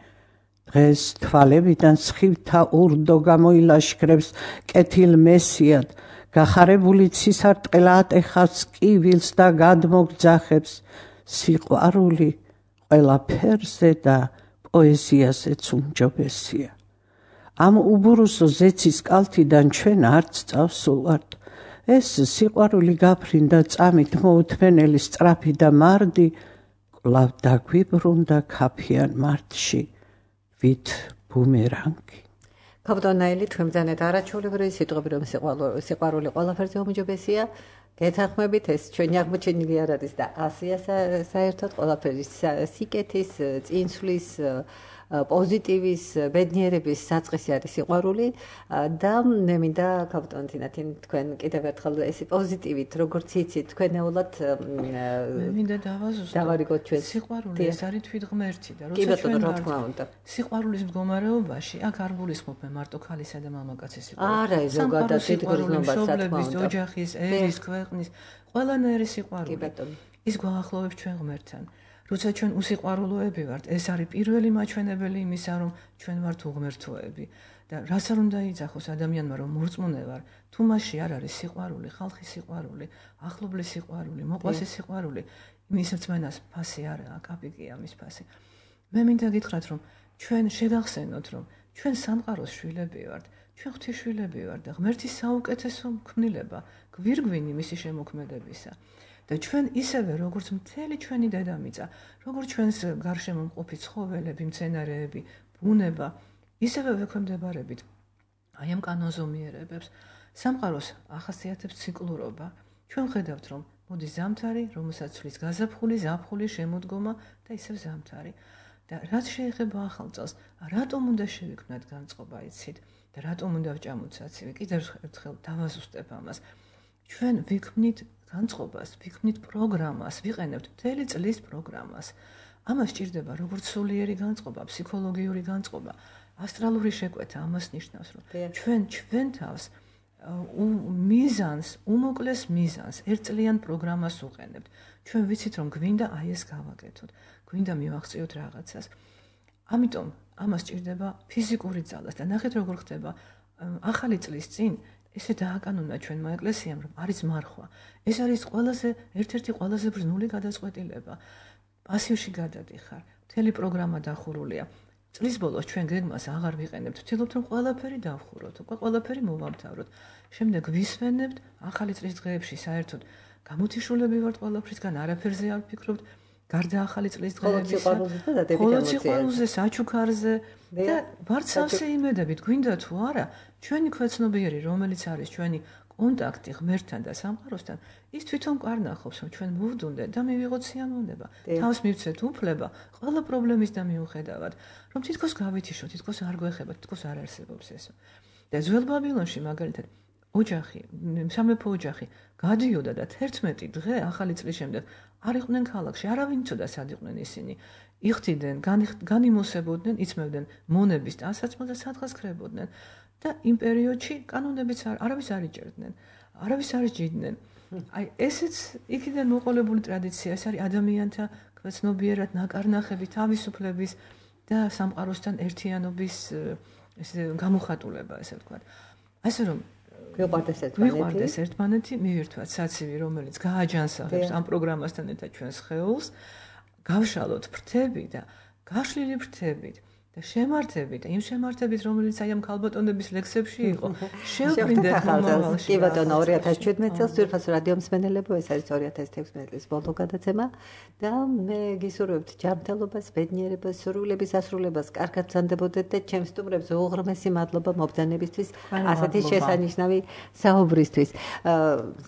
დღეს თვალებიდან სხივთა ურდო გამოილაშქრებს კეთილ მესიად, გახარებული ცისარტყელა ატეხავს კივილს და გადმოგძახებს. სიყვარული ყველა ფერზე და პოეზიაზეც უმჯობესია. ამ უბურუსო ზეცის კალთიდან ჩვენ არც წავსულვართ. ეს სიყვარული გაფრინდა წამით მოუთმენელი სწრაფი და მარდი, კვლავ დაგვიბრუნდა ქაფიან მარტში ვით ბუმერანგი. კაპიტანაილი თქვენ ბრძანეთ არაჩვეულებრივი სიტყვები, რომ სიყვარული ყველაფერზე უმჯობესია. გეთანხმებით, ეს ჩვენი აღმოჩენილი არ არის და ასია საერთოდ ყველაფერი სიკეთის, წინსვლის, პოზიტივის, ბედნიერების საწყისი არის სიყვარული და მე მინდა კაპიტან თინათინ თქვენ კიდევ ერთხელ ეს პოზიტივით როგორც იცით თქვენეულად მე მინდა დავარიგოთ ჩვენ სიყვარული ეს არის თვითღმერთი და როცა ჩვენ ვართ სიყვარულის მდგომარეობაში აქ არ გულისხმობ მარტო ქალისა და მამაკაცის სიყვარულს. არა, ზოგადად თვითგრძნობას სოფლების, ოჯახის, ერის, ქვეყნის ყველანაირი სიყვარული. ის გვაახლოვებს ჩვენ ღმერთთან. როცა ჩვენ უსიყვარულოები ვართ, ეს არის პირველი მაჩვენებელი იმისა, რომ ჩვენ ვართ უღმერთოები და რას არ უნდა იძახოს ადამიანმა, რომ მორწმუნე ვარ, თუ მასში არ არის სიყვარული, ხალხის სიყვარული, ახლობლის სიყვარული, მოყვასის სიყვარული, იმის რწმენას ფასი არ აქვს, კაპიკია მის ფასი. მე მინდა გითხრათ, რომ ჩვენ შეგახსენოთ, რომ ჩვენ სამყაროს შვილები ვართ, ჩვენ ღვთისშვილები ვართ და ღმერთის საუკეთესო ქმნილება, გვირგვინი მისი შემოქმედებისა. და ჩვენ ისევე როგორც მთელი ჩვენი დედამიწა, როგორც ჩვენს გარშემო მყოფი ცხოველები, მცენარეები, ბუნება, ისევე ვექვემდებარებით აი ამ კანონზომიერებებს. სამყაროს ახასიათებს ციკლურობა. ჩვენ ხედავთ, რომ მოდის ზამთარი, რომელსაც ცვლის გაზაფხული, ზაფხული, შემოდგომა და ისევ ზამთარი. და რაც შეეხება ახალ წელს, რატომ უნდა შევიქმნათ განწყობა, იცით? და რატომ უნდა ვჭამოთ საცივი? კიდევ ერთხელ დავაზუსტებ ამას. ჩვენ ვიქმნით განწყობას, ვიქმნით პროგრამას, ვიყენებთ მთელი წლის პროგრამას. ამას ჭირდება როგორც სულიერი განწყობა, ფსიქოლოგიური განწყობა, ასტრალური შეკვეთა, ამას ნიშნავს, რომ ჩვენ თავს მიზანს, უმოკლეს მიზანს, ერთწლიან პროგრამას უყენებთ. ჩვენ ვიცით, რომ გვინდა აი ეს გავაკეთოთ, გვინდა მივახციოთ რაღაცას. ამიტომ ამას ჭირდება ფიზიკური ძალას და ნახეთ როგორ ხდება ახალი წლის წინ ესე დააკანონა ჩვენმა ეკლესიამ, რომ არის მარხვა. ეს არის ერთ-ერთი ყველაზე ბრძნული გადაწყვეტილება. პასივში გადადიხარ, მთელი პროგრამა დახურულია. წლის ბოლოს ჩვენ გეგმას აღარ ვიყენებთ, ვცდილობთ რომ ყველაფერი დავხუროთ, უკვე ყველაფერი მოვამთავროთ. შემდეგ ვისვენებთ ახალი წლის დღეებში საერთოდ გამოთიშულები ვართ ყველაფრისგან, არაფერზე არ ვფიქრობთ, გარდა ახალი წლის დღეებისა. მხოლოდ სიყვარულზე, საჩუქარზე და ვართ სავსე იმედებით, გვინდა თუ არა, ჩვენი ქვეცნობიერი, რომელიც არის ჩვენი კონტაქტი ღმერთთან და სამყაროსთან, ის თვითონ კარნახობს, რომ ჩვენ მოვდუნდეთ და მივიღოთ სიამოვნება. თავს მივცეთ უფლება ყველა პრობლემის და მიუხედავად, რომ თითქოს გავითიშოთ, თითქოს არ გვეხება, თითქოს არ არსებობს ესო. და ძველ ბაბილონში მაგალითად ოჯახი, სამეფო ოჯახი გადიოდა და 11 დღე ახალი წლის შემდეგ არ იყვნენ ქალაქში, არავინ იცოდა სად იყვნენ ისინი. იხდიდნენ, განიმოსებოდნენ, იწმევდნენ მონების ტანსაცმელს და სადღაც ქრებოდნენ. და იმ პერიოდში კანონებიც არავის არ იჭერდნენ, არავის არ იჭიდნენ. აი ესეც იქიდან მოყოლებული ტრადიცია, ეს არის ადამიანთა ქვეცნობიერად ნაკარნახები, თავისუფლების და სამყაროსთან ერთიანობის ესე გამოხატულება, ესე ვთქვათ. ასე რომ გვიყვარდეს ერთმანეთი, მივირთვათ საცივი, რომელიც გააჯანსაღებს ამ პროგრამასთან ერთად ჩვენს სხეულს, გავშალოთ ფრთები და გაშლილი ფრთებით და შემართებით, იმ შემართებით, რომელიც აი ამ ქალბატონების ლექსებში იყო, შევფრინდეთ მომავალში. კი ბატონო, 2017 წელს ძვირფასო რადიო მსმენელებო, ეს არის 2016 წლის ბოლო გადაცემა და მე გისურვებთ ჯანმრთელობას, ბედნიერებას, სურვილების ასრულებას, კარგად ბრძანდებოდეთ და ჩემს სტუმრებს უღრმესი მადლობა მობრძანებისთვის, ასეთი შესანიშნავი საუბრისთვის.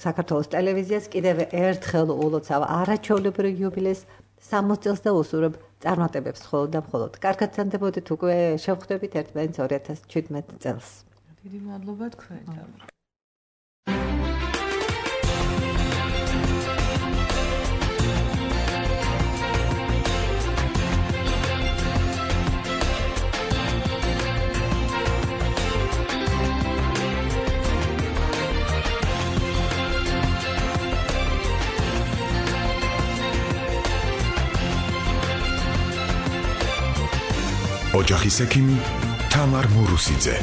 საქართველოს ტელევიზიას კიდევ ერთხელ ულოცავ არაჩვეულებრივ იუბილეს 60 წელს და უსურვებ წარმატებებს მხოლოდ და მხოლოდ. კარგად ბრძანდებოდეთ, უკვე შევხვდებით ერთმანეთს 2017 წელს. დიდი მადლობა თქვენთან. ოჯახის ექიმი თამარ მურუსიძე.